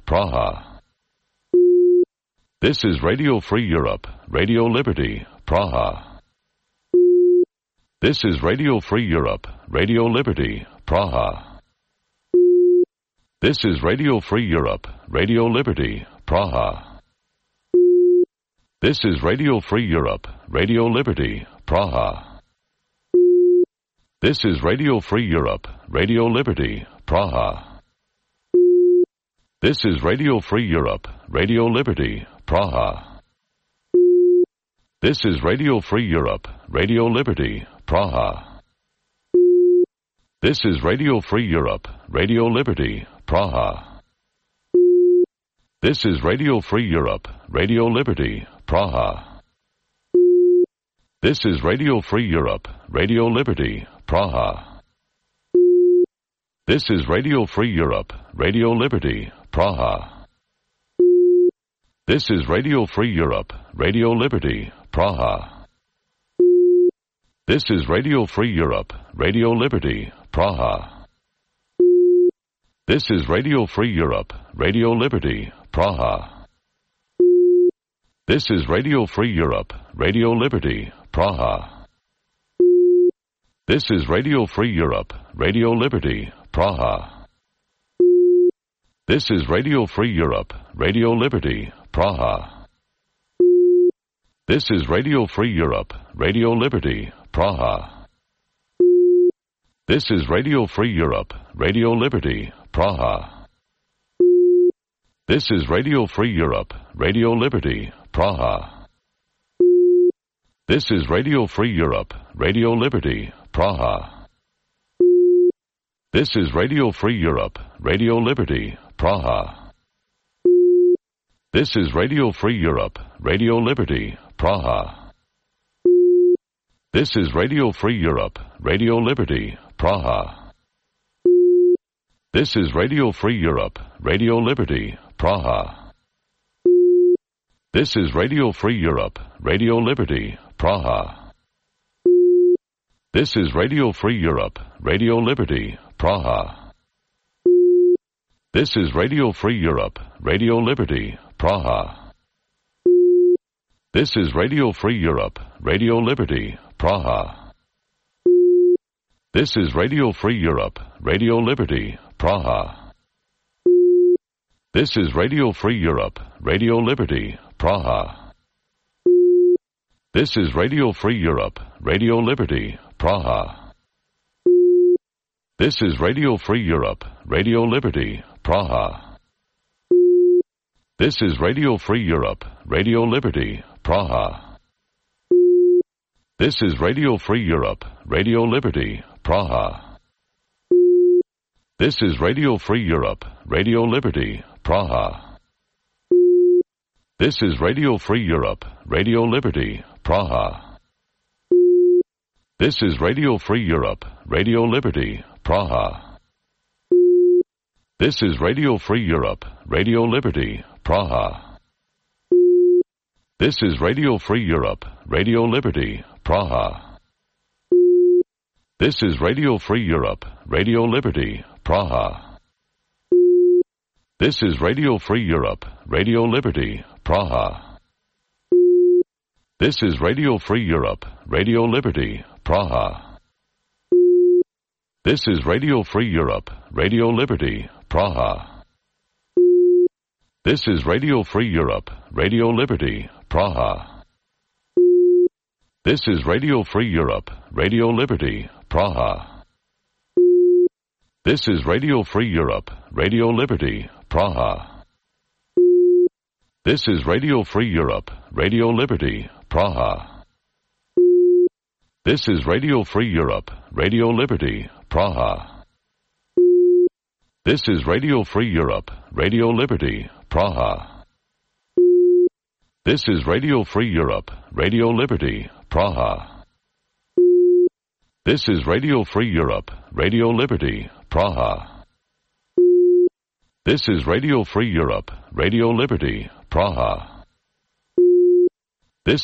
Praha. This is Radio Free Europe, Radio Liberty, Praha. This is Radio Free Europe, Radio Liberty, Praha. This is Radio Free Europe, Radio Liberty, Praha. This is Radio Free Europe, Radio Liberty, Praha. This is Radio Free Europe, Radio Liberty, Praha. This is Radio Free Europe, Radio Liberty, Praha. This is Radio Free Europe, Radio Liberty, Praha. This is Radio Free Europe, Radio Liberty, Praha. This is Radio Free Europe, Radio Liberty, Praha. This is Radio Free Europe, Radio Liberty, Praha. This is Radio Free Europe, Radio Liberty, Praha. This is Radio Free Europe, Radio Liberty, Praha. This is Radio Free Europe, Radio Liberty, Praha. This is Radio Free Europe, Radio Liberty, Praha. This is Radio Free Europe, Radio Liberty, Praha. This is Radio Free Europe, Radio Liberty, Praha. This is Radio Free Europe, Radio Liberty, Praha. This is Radio Free Europe, Radio Liberty, Praha. This is Radio Free Europe, Radio Liberty, Praha. This is Radio Free Europe, Radio Liberty, Praha. This is Radio Free Europe, Radio Liberty, Praha. This is Radio Free Europe, Radio Liberty, Praha. This is Radio Free Europe, Radio Liberty, Praha. This is Radio Free Europe, Radio Liberty, Praha. This is Radio Free Europe, Radio Liberty, Praha. This is Radio Free Europe, Radio Liberty, Praha. This is Radio Free Europe, Radio Liberty, Praha. This is Radio Free Europe, Radio Liberty, Praha. This is Radio Free Europe, Radio Liberty, Praha. This is Radio Free Europe, Radio Liberty, Praha. This is Radio Free Europe, Radio Liberty, Praha. This is Radio Free Europe, Radio Liberty, Praha. This is Radio Free Europe, Radio Liberty, Praha. This is Radio Free Europe, Radio Liberty, Praha. This is Radio Free Europe, Radio Liberty, Praha. This is Radio Free Europe, Radio Liberty, Praha. This is Radio Free Europe, Radio Liberty, Praha. This is Radio Free Europe, Radio Liberty, Praha. This is Radio Free Europe, Radio Liberty, Praha. This is Radio Free Europe, Radio Liberty, Praha. This is Radio Free Europe, Radio Liberty, Praha. This is Radio Free Europe, Radio Liberty, Praha. This is Radio Free Europe, Radio Liberty, Praha. This is Radio Free Europe, Radio Liberty, Praha. This is Radio Free Europe, Radio Liberty, Praha. This is Radio Free Europe, Radio Liberty, Praha. This is Radio Free Europe, Radio Liberty, Praha. This is Radio Free Europe, Radio Liberty, Praha. This is Radio Free Europe, Radio Liberty, Praha. This is Radio Free Europe, Radio Liberty, Praha. This is Radio Free Europe, Radio Liberty, Praha. This is Radio Free Europe, Radio Liberty, Praha. This is Radio Free Europe, Radio Liberty, Praha. This is Radio Free Europe, Radio Liberty, Praha. This is Radio Free Europe, Radio Liberty, Praha.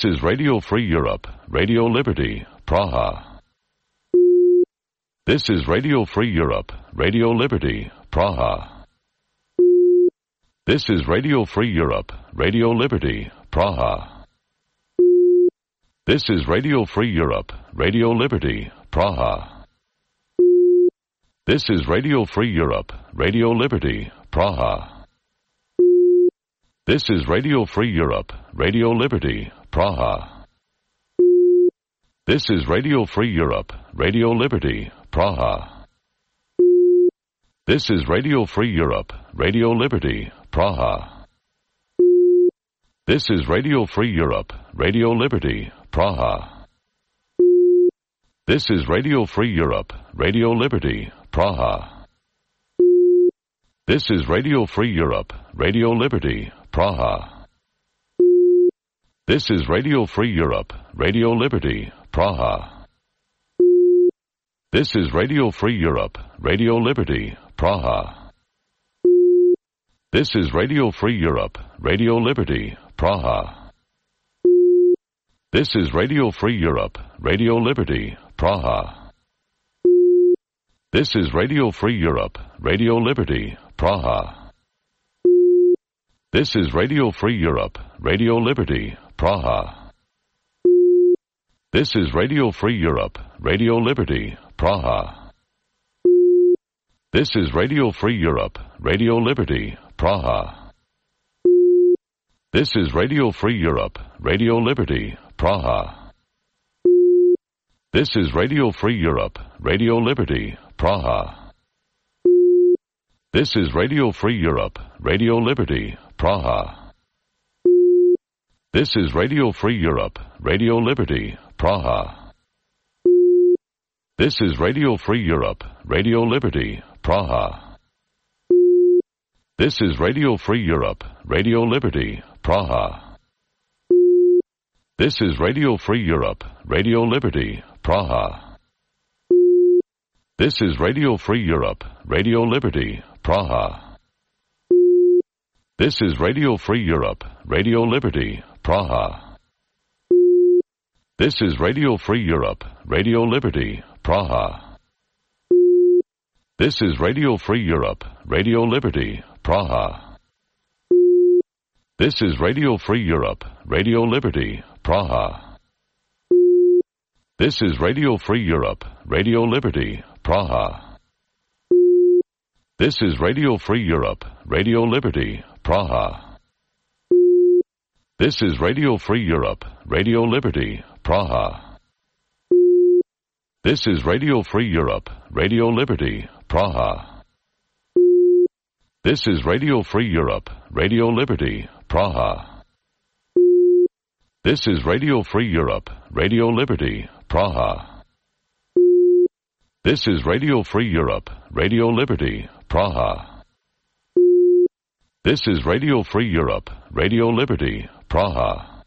This is Radio Free Europe, Radio Liberty, Praha. This is Radio Free Europe, Radio Liberty, Praha. This is Radio Free Europe, Radio Liberty, Praha. This is Radio Free Europe, Radio Liberty, Praha. This is Radio Free Europe, Radio Liberty, Praha. This is Radio Free Europe, Radio Liberty, Praha. This is Radio Free Europe, Radio Liberty, Praha. This is Radio Free Europe, Radio Liberty, Praha. This is Radio Free Europe, Radio Liberty, Praha. This is Radio Free Europe, Radio Liberty, Praha. This is Radio Free Europe, Radio Liberty, Praha. This is Radio Free Europe, Radio Liberty, Praha. This is Radio Free Europe, Radio Liberty, Praha. This is Radio Free Europe, Radio Liberty, Praha. This is Radio Free Europe, Radio Liberty, Praha. This is Radio Free Europe, Radio Liberty, Praha. This is Radio Free Europe, Radio Liberty, Praha. This is Radio Free Europe, Radio Liberty, Praha. This is Radio Free Europe, Radio Liberty, Praha. This is Radio Free Europe, Radio Liberty, Praha. This is Radio Free Europe, Radio Liberty, Praha. This is Radio Free Europe, Radio Liberty, Praha. This is Radio Free Europe, Radio Liberty, Praha. This is Radio Free Europe, Radio Liberty, Praha. This is Radio Free Europe, Radio Liberty, Praha. This is Radio Free Europe, Radio Liberty, Praha. This is Radio Free Europe, Radio Liberty, Praha. This is Radio Free Europe, Radio Liberty, Praha. This is Radio Free Europe, Radio Liberty, Praha. This is Radio Free Europe, Radio Liberty, Praha. This is Radio Free Europe, Radio Liberty, Praha. This is Radio Free Europe, Radio Liberty, Praha. This is Radio Free Europe, Radio Liberty, Praha. This is Radio Free Europe, Radio Liberty, Praha. This is Radio Free Europe, Radio Liberty, Praha. This is Radio Free Europe, Radio Liberty, Praha. This is Radio Free Europe, Radio Liberty, Praha. This is Radio Free Europe, Radio Liberty, Praha. This is Radio Free Europe, Radio Liberty, Praha.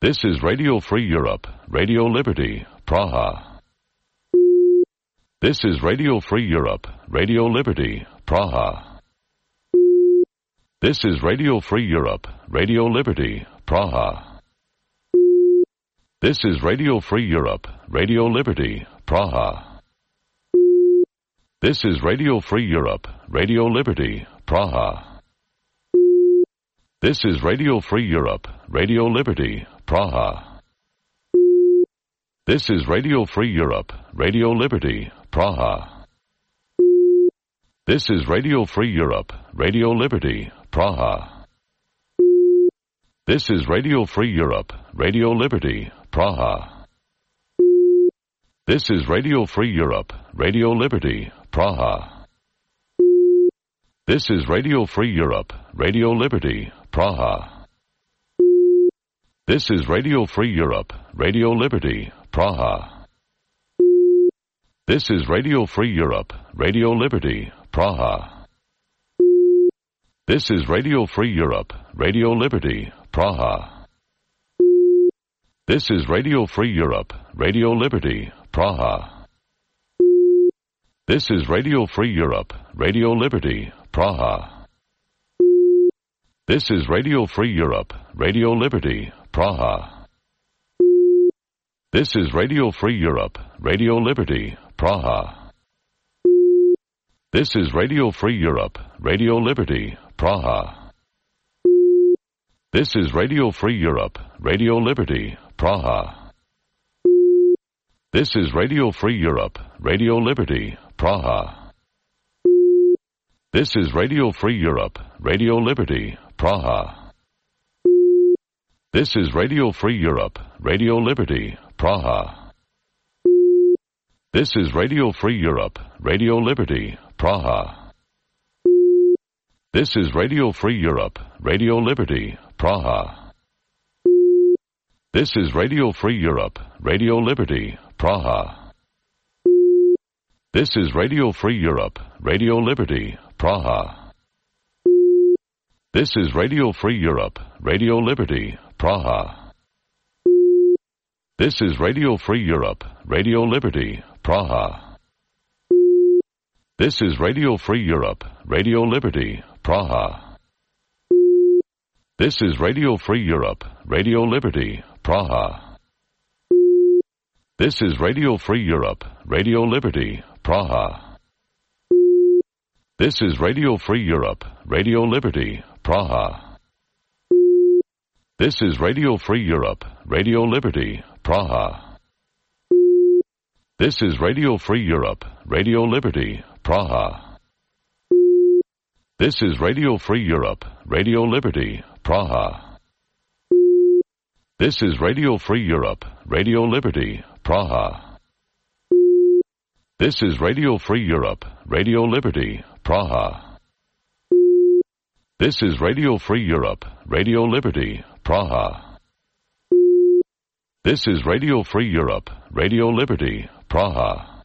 This is Radio Free Europe, Radio Liberty, Praha. This is Radio Free Europe, Radio Liberty, Praha. This is Radio Free Europe, Radio Liberty, Praha. This is Radio Free Europe, Radio Liberty, Praha. This is Radio Free Europe, Radio Liberty, Praha. This is Radio Free Europe, Radio Liberty, Praha. This is Radio Free Europe, Radio Liberty, Praha. This is Radio Free Europe, Radio Liberty, Praha. This is Radio Free Europe, Radio Liberty, Praha. This is Radio Free Europe, Radio Liberty, Praha. This is Radio Free Europe, Radio Liberty, Praha. This is Radio Free Europe, Radio Liberty, Praha. This is Radio Free Europe, Radio Liberty, Praha. This is Radio Free Europe, Radio Liberty, Praha. This is Radio Free Europe, Radio Liberty, Praha. This is Radio Free Europe, Radio Liberty, Praha. This is Radio Free Europe, Radio Liberty, Praha. This is Radio Free Europe, Radio Liberty, Praha. This is Radio Free Europe, Radio Liberty, Praha. This is Radio Free Europe, Radio Liberty, Praha. This is Radio Free Europe, Radio Liberty, Praha. This is Radio Free Europe, Radio Liberty, Praha. This is Radio Free Europe, Radio Liberty, Praha. This is Radio Free Europe, Radio Liberty, Praha. This is Radio Free Europe, Radio Liberty, Praha. This is Radio Free Europe, Radio Liberty, Praha. This is Radio Free Europe, Radio Liberty, Praha. This is Radio Free Europe, Radio Liberty, Praha. This is Radio Free Europe, Radio Liberty, Praha. This is Radio Free Europe, Radio Liberty, Praha. This is Radio Free Europe, Radio Liberty, Praha. This is Radio Free Europe, Radio Liberty, Praha. This is Radio Free Europe, Radio Liberty, Praha. This is Radio Free Europe, Radio Liberty, Praha. This is Radio Free Europe, Radio Liberty, Praha. This is Radio Free Europe, Radio Liberty, Praha. This is Radio Free Europe, Radio Liberty, Praha. This is Radio Free Europe, Radio Liberty, Praha. This is Radio Free Europe, Radio Liberty, Praha. This is Radio Free Europe, Radio Liberty, Praha.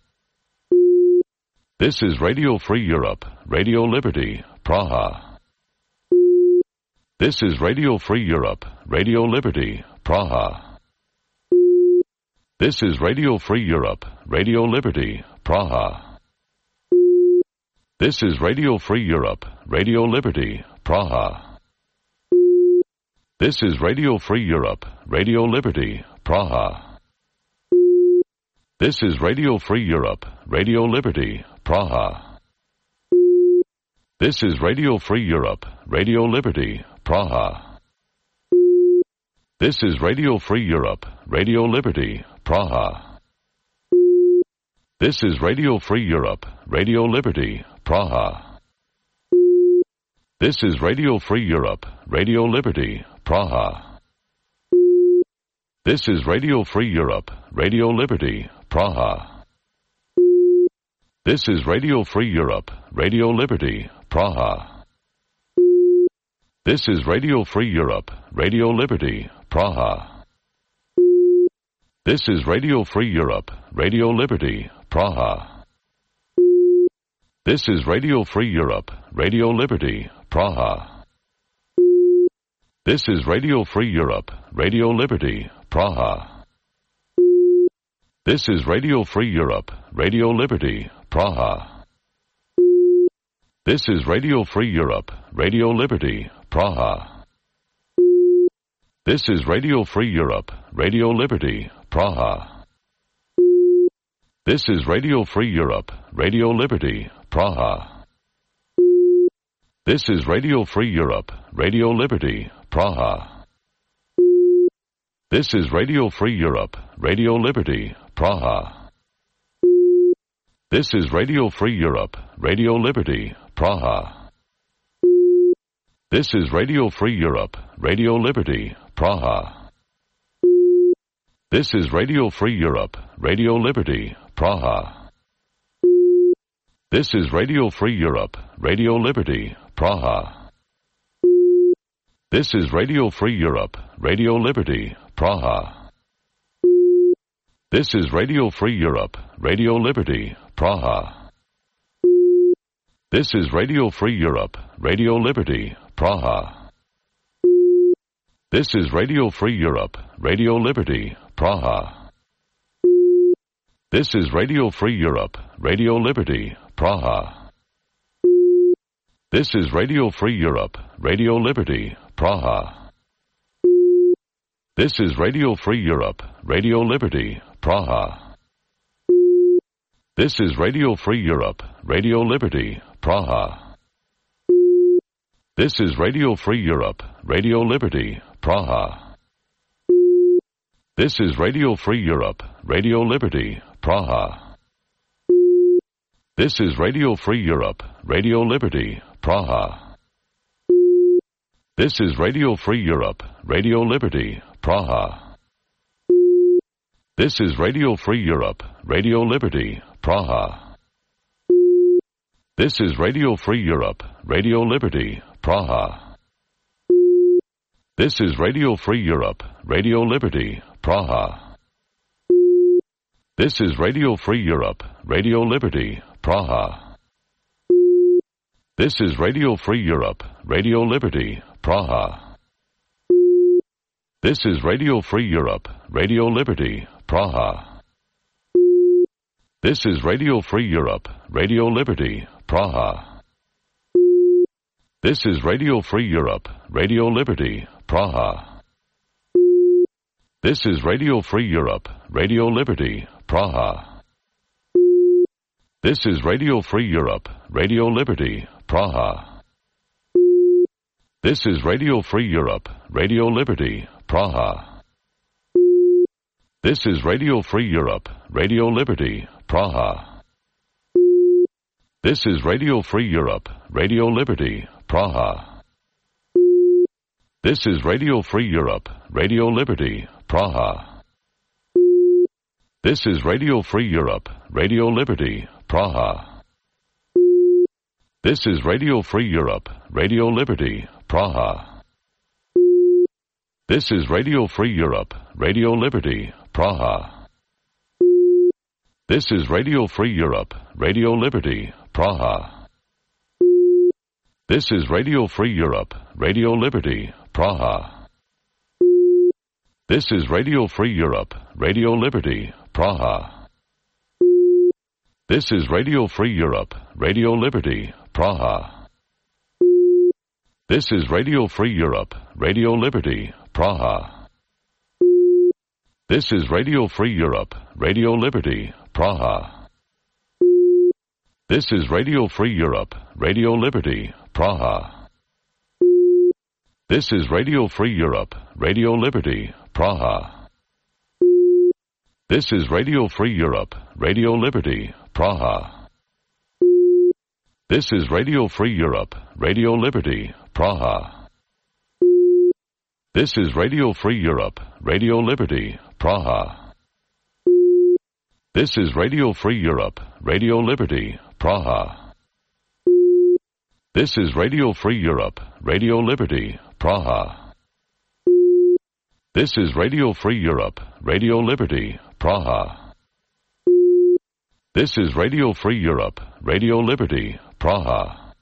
This is Radio Free Europe, Radio Liberty, Praha. This is Radio Free Europe, Radio Liberty, Praha. This is Radio Free Europe, Radio Liberty, Praha. This is Radio Free Europe, Radio Liberty, Praha. This is Radio Free Europe, Radio Liberty, Praha. This is Radio Free Europe, Radio Liberty, Praha. This is Radio Free Europe, Radio Liberty, Praha. This is Radio Free Europe, Radio Liberty, Praha. This is Radio Free Europe, Radio Liberty, Praha. This is Radio Free Europe, Radio Liberty, Praha. This is Radio Free Europe, Radio Liberty, Praha. This is Radio Free Europe, Radio Liberty, Praha. This is Radio Free Europe, Radio Liberty, Praha. This is Radio Free Europe, Radio Liberty, Praha. This is Radio Free Europe, Radio Liberty, Praha. This is Radio Free Europe, Radio Liberty, Praha. This is Radio Free Europe, Radio Liberty, Praha. This is Radio Free Europe, Radio Liberty, Praha. This is Radio Free Europe, Radio Liberty, Praha. This is Radio Free Europe, Radio Liberty, Praha. This is Radio Free Europe, Radio Liberty, Praha. This is Radio Free Europe, Radio Liberty, Praha. This is Radio Free Europe, Radio Liberty, Praha. This is Radio Free Europe, Radio Liberty, Praha. This is Radio Free Europe, Radio Liberty, Praha. This is Radio Free Europe, Radio Liberty, Praha. This is Radio Free Europe, Radio Liberty, Praha. This is Radio Free Europe, Radio Liberty, Praha. This is Radio Free Europe, Radio Liberty, Praha. This is Radio Free Europe, Radio Liberty, Praha. This is Radio Free Europe, Radio Liberty, Praha. This is Radio Free Europe, Radio Liberty, Praha. This is Radio Free Europe, Radio Liberty, Praha. This is Radio Free Europe, Radio Liberty, Praha. This is Radio Free Europe, Radio Liberty, Praha. This is Radio Free Europe, Radio Liberty, Praha. This is Radio Free Europe, Radio Liberty, Praha. This is Radio Free Europe, Radio Liberty, Praha. This is Radio Free Europe, Radio Liberty, Praha. This is Radio Free Europe, Radio Liberty, Praha. This is Radio Free Europe, Radio Liberty, Praha. This is Radio Free Europe, Radio Liberty, Praha. This is Radio Free Europe, Radio Liberty, Praha. This is Radio Free Europe, Radio Liberty, Praha. This is Radio Free Europe, Radio Liberty, Praha. This is Radio Free Europe, Radio Liberty, Praha. This is Radio Free Europe, Radio Liberty, Praha. This is Radio Free Europe, Radio Liberty, Praha. This is Radio Free Europe, Radio Liberty, Praha. This is Radio Free Europe, Radio Liberty, Praha. This is Radio Free Europe, Radio Liberty, Praha. This is Radio Free Europe, Radio Liberty, Praha. This is Radio Free Europe, Radio Liberty, Praha. This is Radio Free Europe, Radio Liberty, Praha. This is Radio Free Europe, Radio Liberty, Praha. This is Radio Free Europe, Radio Liberty, Praha. This is Radio Free Europe, Radio Liberty, Praha. This is Radio Free Europe, Radio Liberty, Praha. This is Radio Free Europe, Radio Liberty, Praha. This is Radio Free Europe, Radio Liberty, Praha. This is Radio Free Europe, Radio Liberty, Praha. This is Radio Free Europe, Radio Liberty, Praha. This is Radio Free Europe, Radio Liberty, Praha. This is Radio Free Europe, Radio Liberty, Praha. This is Radio Free Europe, Radio Liberty, Praha. This is Radio Free Europe, Radio Liberty, Praha. This is Radio Free Europe, Radio Liberty, Praha. This is Radio Free Europe, Radio Liberty, Praha. This is Radio Free Europe, Radio Liberty, Praha. This is Radio Free Europe, Radio Liberty, Praha.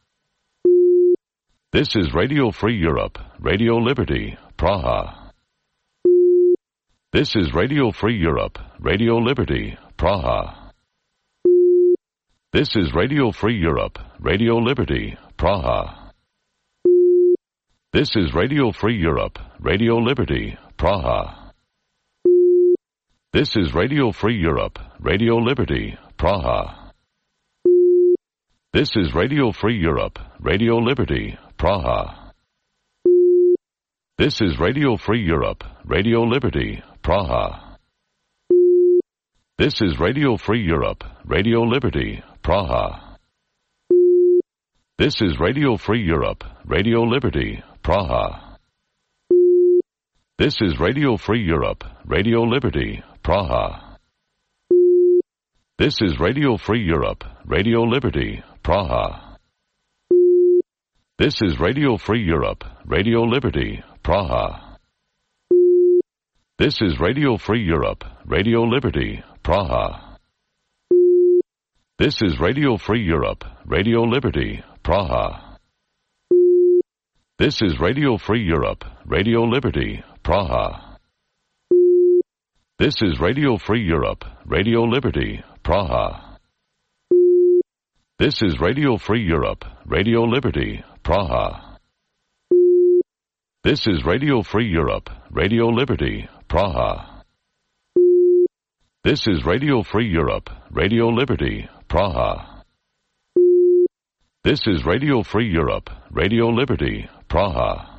This is Radio Free Europe, Radio Liberty, Praha. This is Radio Free Europe, Radio Liberty, Praha. This is Radio Free Europe, Radio Liberty, Praha. This is Radio Free Europe, Radio Liberty, Praha. This is Radio Free Europe, Radio Liberty, Praha. This is Radio Free Europe, Radio Liberty, Praha. This is Radio Free Europe, Radio Liberty, Praha. This is Radio Free Europe, Radio Liberty, Praha. This is Radio Free Europe, Radio Liberty, Praha. This is Radio Free Europe, Radio Liberty, Praha. This is Radio Free Europe, Radio Liberty, Praha. This is Radio Free Europe, Radio Liberty, Praha. This is Radio Free Europe, Radio Liberty, Praha. This is Radio Free Europe, Radio Liberty, Praha. This is Radio Free Europe, Radio Liberty, Praha. This is Radio Free Europe, Radio Liberty, Praha. This is Radio Free Europe, Radio Liberty, Praha. This is Radio Free Europe, Radio Liberty, Praha. This is Radio Free Europe, Radio Liberty, Praha. This is Radio Free Europe, Radio Liberty, Praha.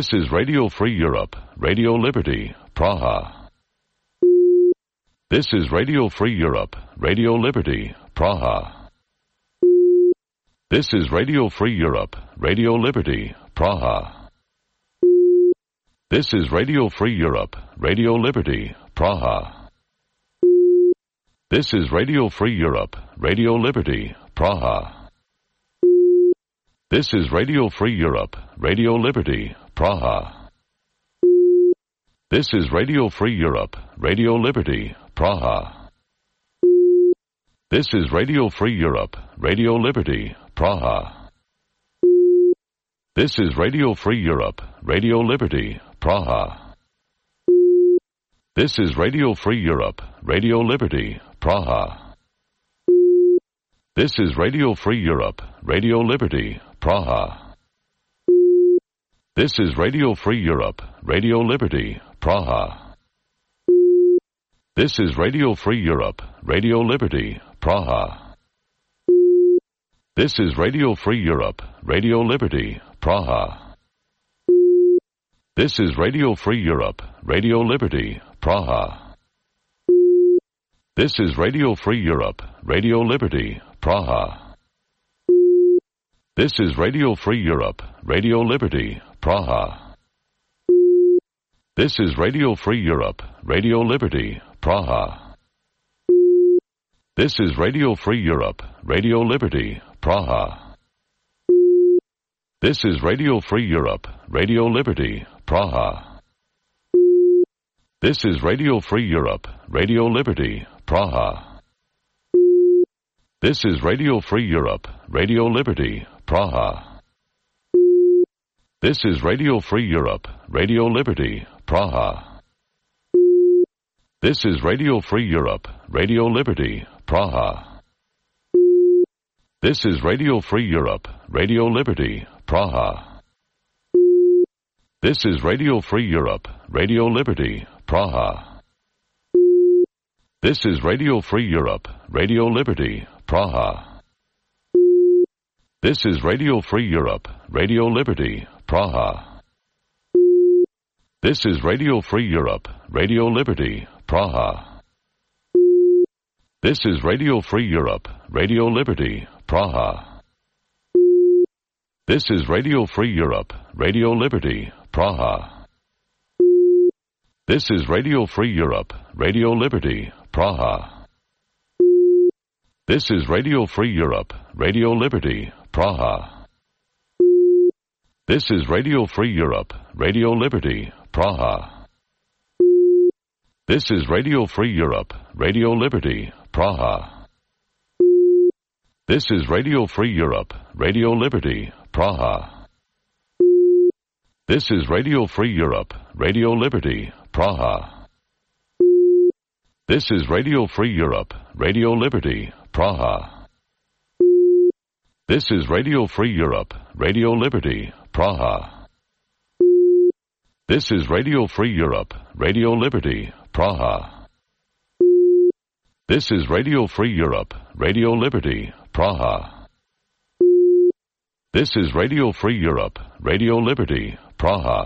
This is Radio Free Europe, Radio Liberty, Praha. This is Radio Free Europe, Radio Liberty, Praha. This is Radio Free Europe, Radio Liberty, Praha. This is Radio Free Europe, Radio Liberty, Praha. This is Radio Free Europe, Radio Liberty, Praha. This is Radio Free Europe, Radio Liberty, Praha. This is Radio Free Europe, Radio Liberty, Praha. This is Radio Free Europe, Radio Liberty, Praha. This is Radio Free Europe, Radio Liberty, Praha. This is Radio Free Europe, Radio Liberty, Praha. This is Radio Free Europe, Radio Liberty, Praha. This is Radio Free Europe, Radio Liberty, Praha. This is Radio Free Europe, Radio Liberty, Praha. This is Radio Free Europe, Radio Liberty, Praha. This is Radio Free Europe, Radio Liberty, Praha. This is Radio Free Europe, Radio Liberty, Praha. This is Radio Free Europe, Radio Liberty, Praha. This is Radio Free Europe, Radio Liberty, Praha. This is Radio Free Europe, Radio Liberty, Praha. This is Radio Free Europe, Radio Liberty, Praha. This is Radio Free Europe, Radio Liberty, Praha. This is Radio Free Europe, Radio Liberty, Praha. This is Radio Free Europe, Radio Liberty, Praha. This is Radio Free Europe, Radio Liberty, Praha. This is Radio Free Europe, Radio Liberty, Praha. This is Radio Free Europe, Radio Liberty, Praha. This is Radio Free Europe, Radio Liberty, Praha. This is Radio Free Europe, Radio Liberty, Praha. This is Radio Free Europe, Radio Liberty, Praha. This is Radio Free Europe, Radio Liberty, Praha. This is Radio Free Europe, Radio Liberty, Praha. This is Radio Free Europe, Radio Liberty, Praha. This is Radio Free Europe, Radio Liberty, Praha. This is Radio Free Europe, Radio Liberty, Praha. This is Radio Free Europe, Radio Liberty, Praha. This is Radio Free Europe, Radio Liberty, Praha. This is Radio Free Europe, Radio Liberty, Praha. This is Radio Free Europe, Radio Liberty, Praha. This is Radio Free Europe, Radio Liberty, Praha. This is Radio Free Europe, Radio Liberty, Praha. This is Radio Free Europe, Radio Liberty, Praha. This is Radio Free Europe, Radio Liberty, Praha.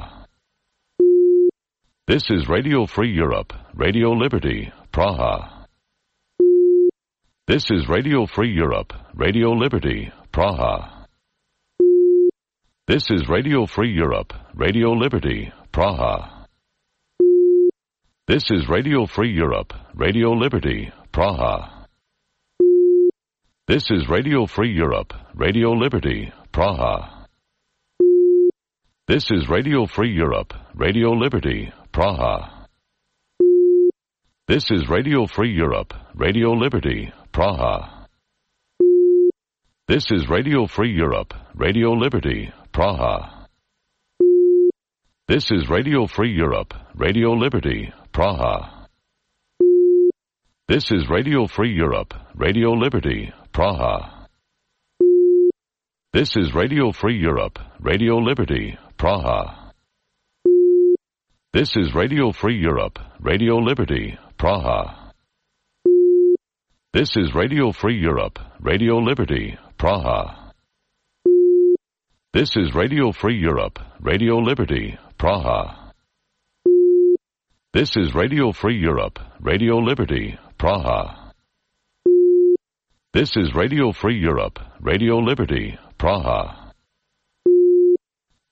This is Radio Free Europe, Radio Liberty, Praha. This is Radio Free Europe, Radio Liberty, Praha. This is Radio Free Europe, Radio Liberty, Praha. This is Radio Free Europe, Radio Liberty, Praha. This is Radio Free Europe, Radio Liberty, Praha. This is Radio Free Europe, Radio Liberty, Praha. This is Radio Free Europe, Radio Liberty, Praha. This is Radio Free Europe, Radio Liberty, Praha. This is Radio Free Europe, Radio Liberty, Praha. This is Radio Free Europe, Radio Liberty, Praha. This is Radio Free Europe, Radio Liberty, Praha. This is Radio Free Europe, Radio Liberty, Praha. This is Radio Free Europe, Radio Liberty, Praha. This is Radio Free Europe, Radio Liberty, Praha. This is Radio Free Europe, Radio Liberty, Praha. This is Radio Free Europe, Radio Liberty, Praha.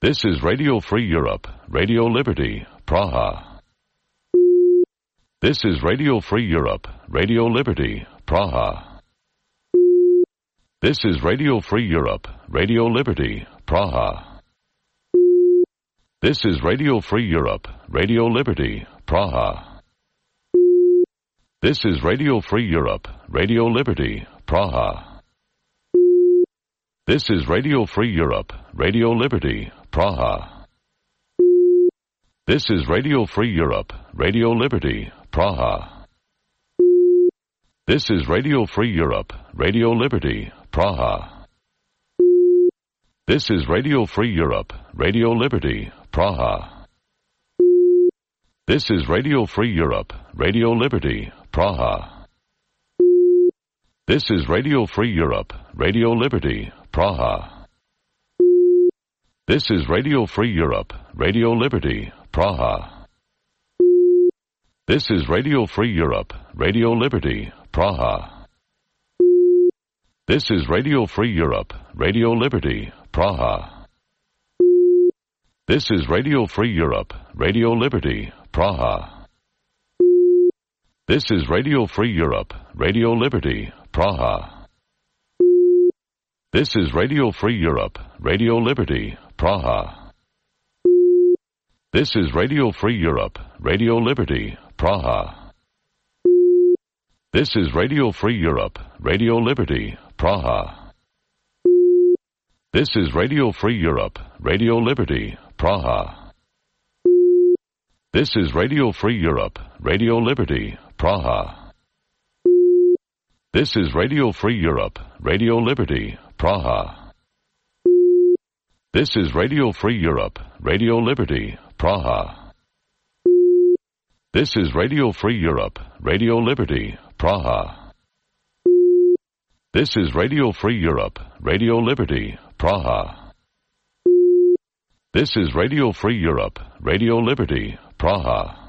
This is Radio Free Europe, Radio Liberty, Praha. This is Radio Free Europe, Radio Liberty, Praha. This is Radio Free Europe, Radio Liberty, Praha. This is Radio Free Europe, Radio Liberty, Praha. This is Radio Free Europe, Radio Liberty, Praha. This is Radio Free Europe, Radio Liberty, Praha. This is Radio Free Europe, Radio Liberty, Praha. This is Radio Free Europe, Radio Liberty, Praha. This is Radio Free Europe, Radio Liberty, Praha. This is Radio Free Europe, Radio Liberty, Praha. This is Radio Free Europe, Radio Liberty, Praha. This is Radio Free Europe, Radio Liberty, Praha. This is Radio Free Europe, Radio Liberty, Praha. This is Radio Free Europe, Radio Liberty, Praha. This is Radio Free Europe, Radio Liberty, Praha. This is Radio Free Europe, Radio Liberty, Praha. This is Radio Free Europe, Radio Liberty, Praha. This is Radio Free Europe, Radio Liberty, Praha. This is Radio Free Europe, Radio Liberty, Praha. This is Radio Free Europe, Radio Liberty, Praha. This is Radio Free Europe, Radio Liberty, Praha. This is Radio Free Europe, Radio Liberty, Praha. This is Radio Free Europe, Radio Liberty, Praha. This is Radio Free Europe, Radio Liberty, Praha. This is Radio Free Europe, Radio Liberty, Praha. This is Radio Free Europe, Radio Liberty, Praha.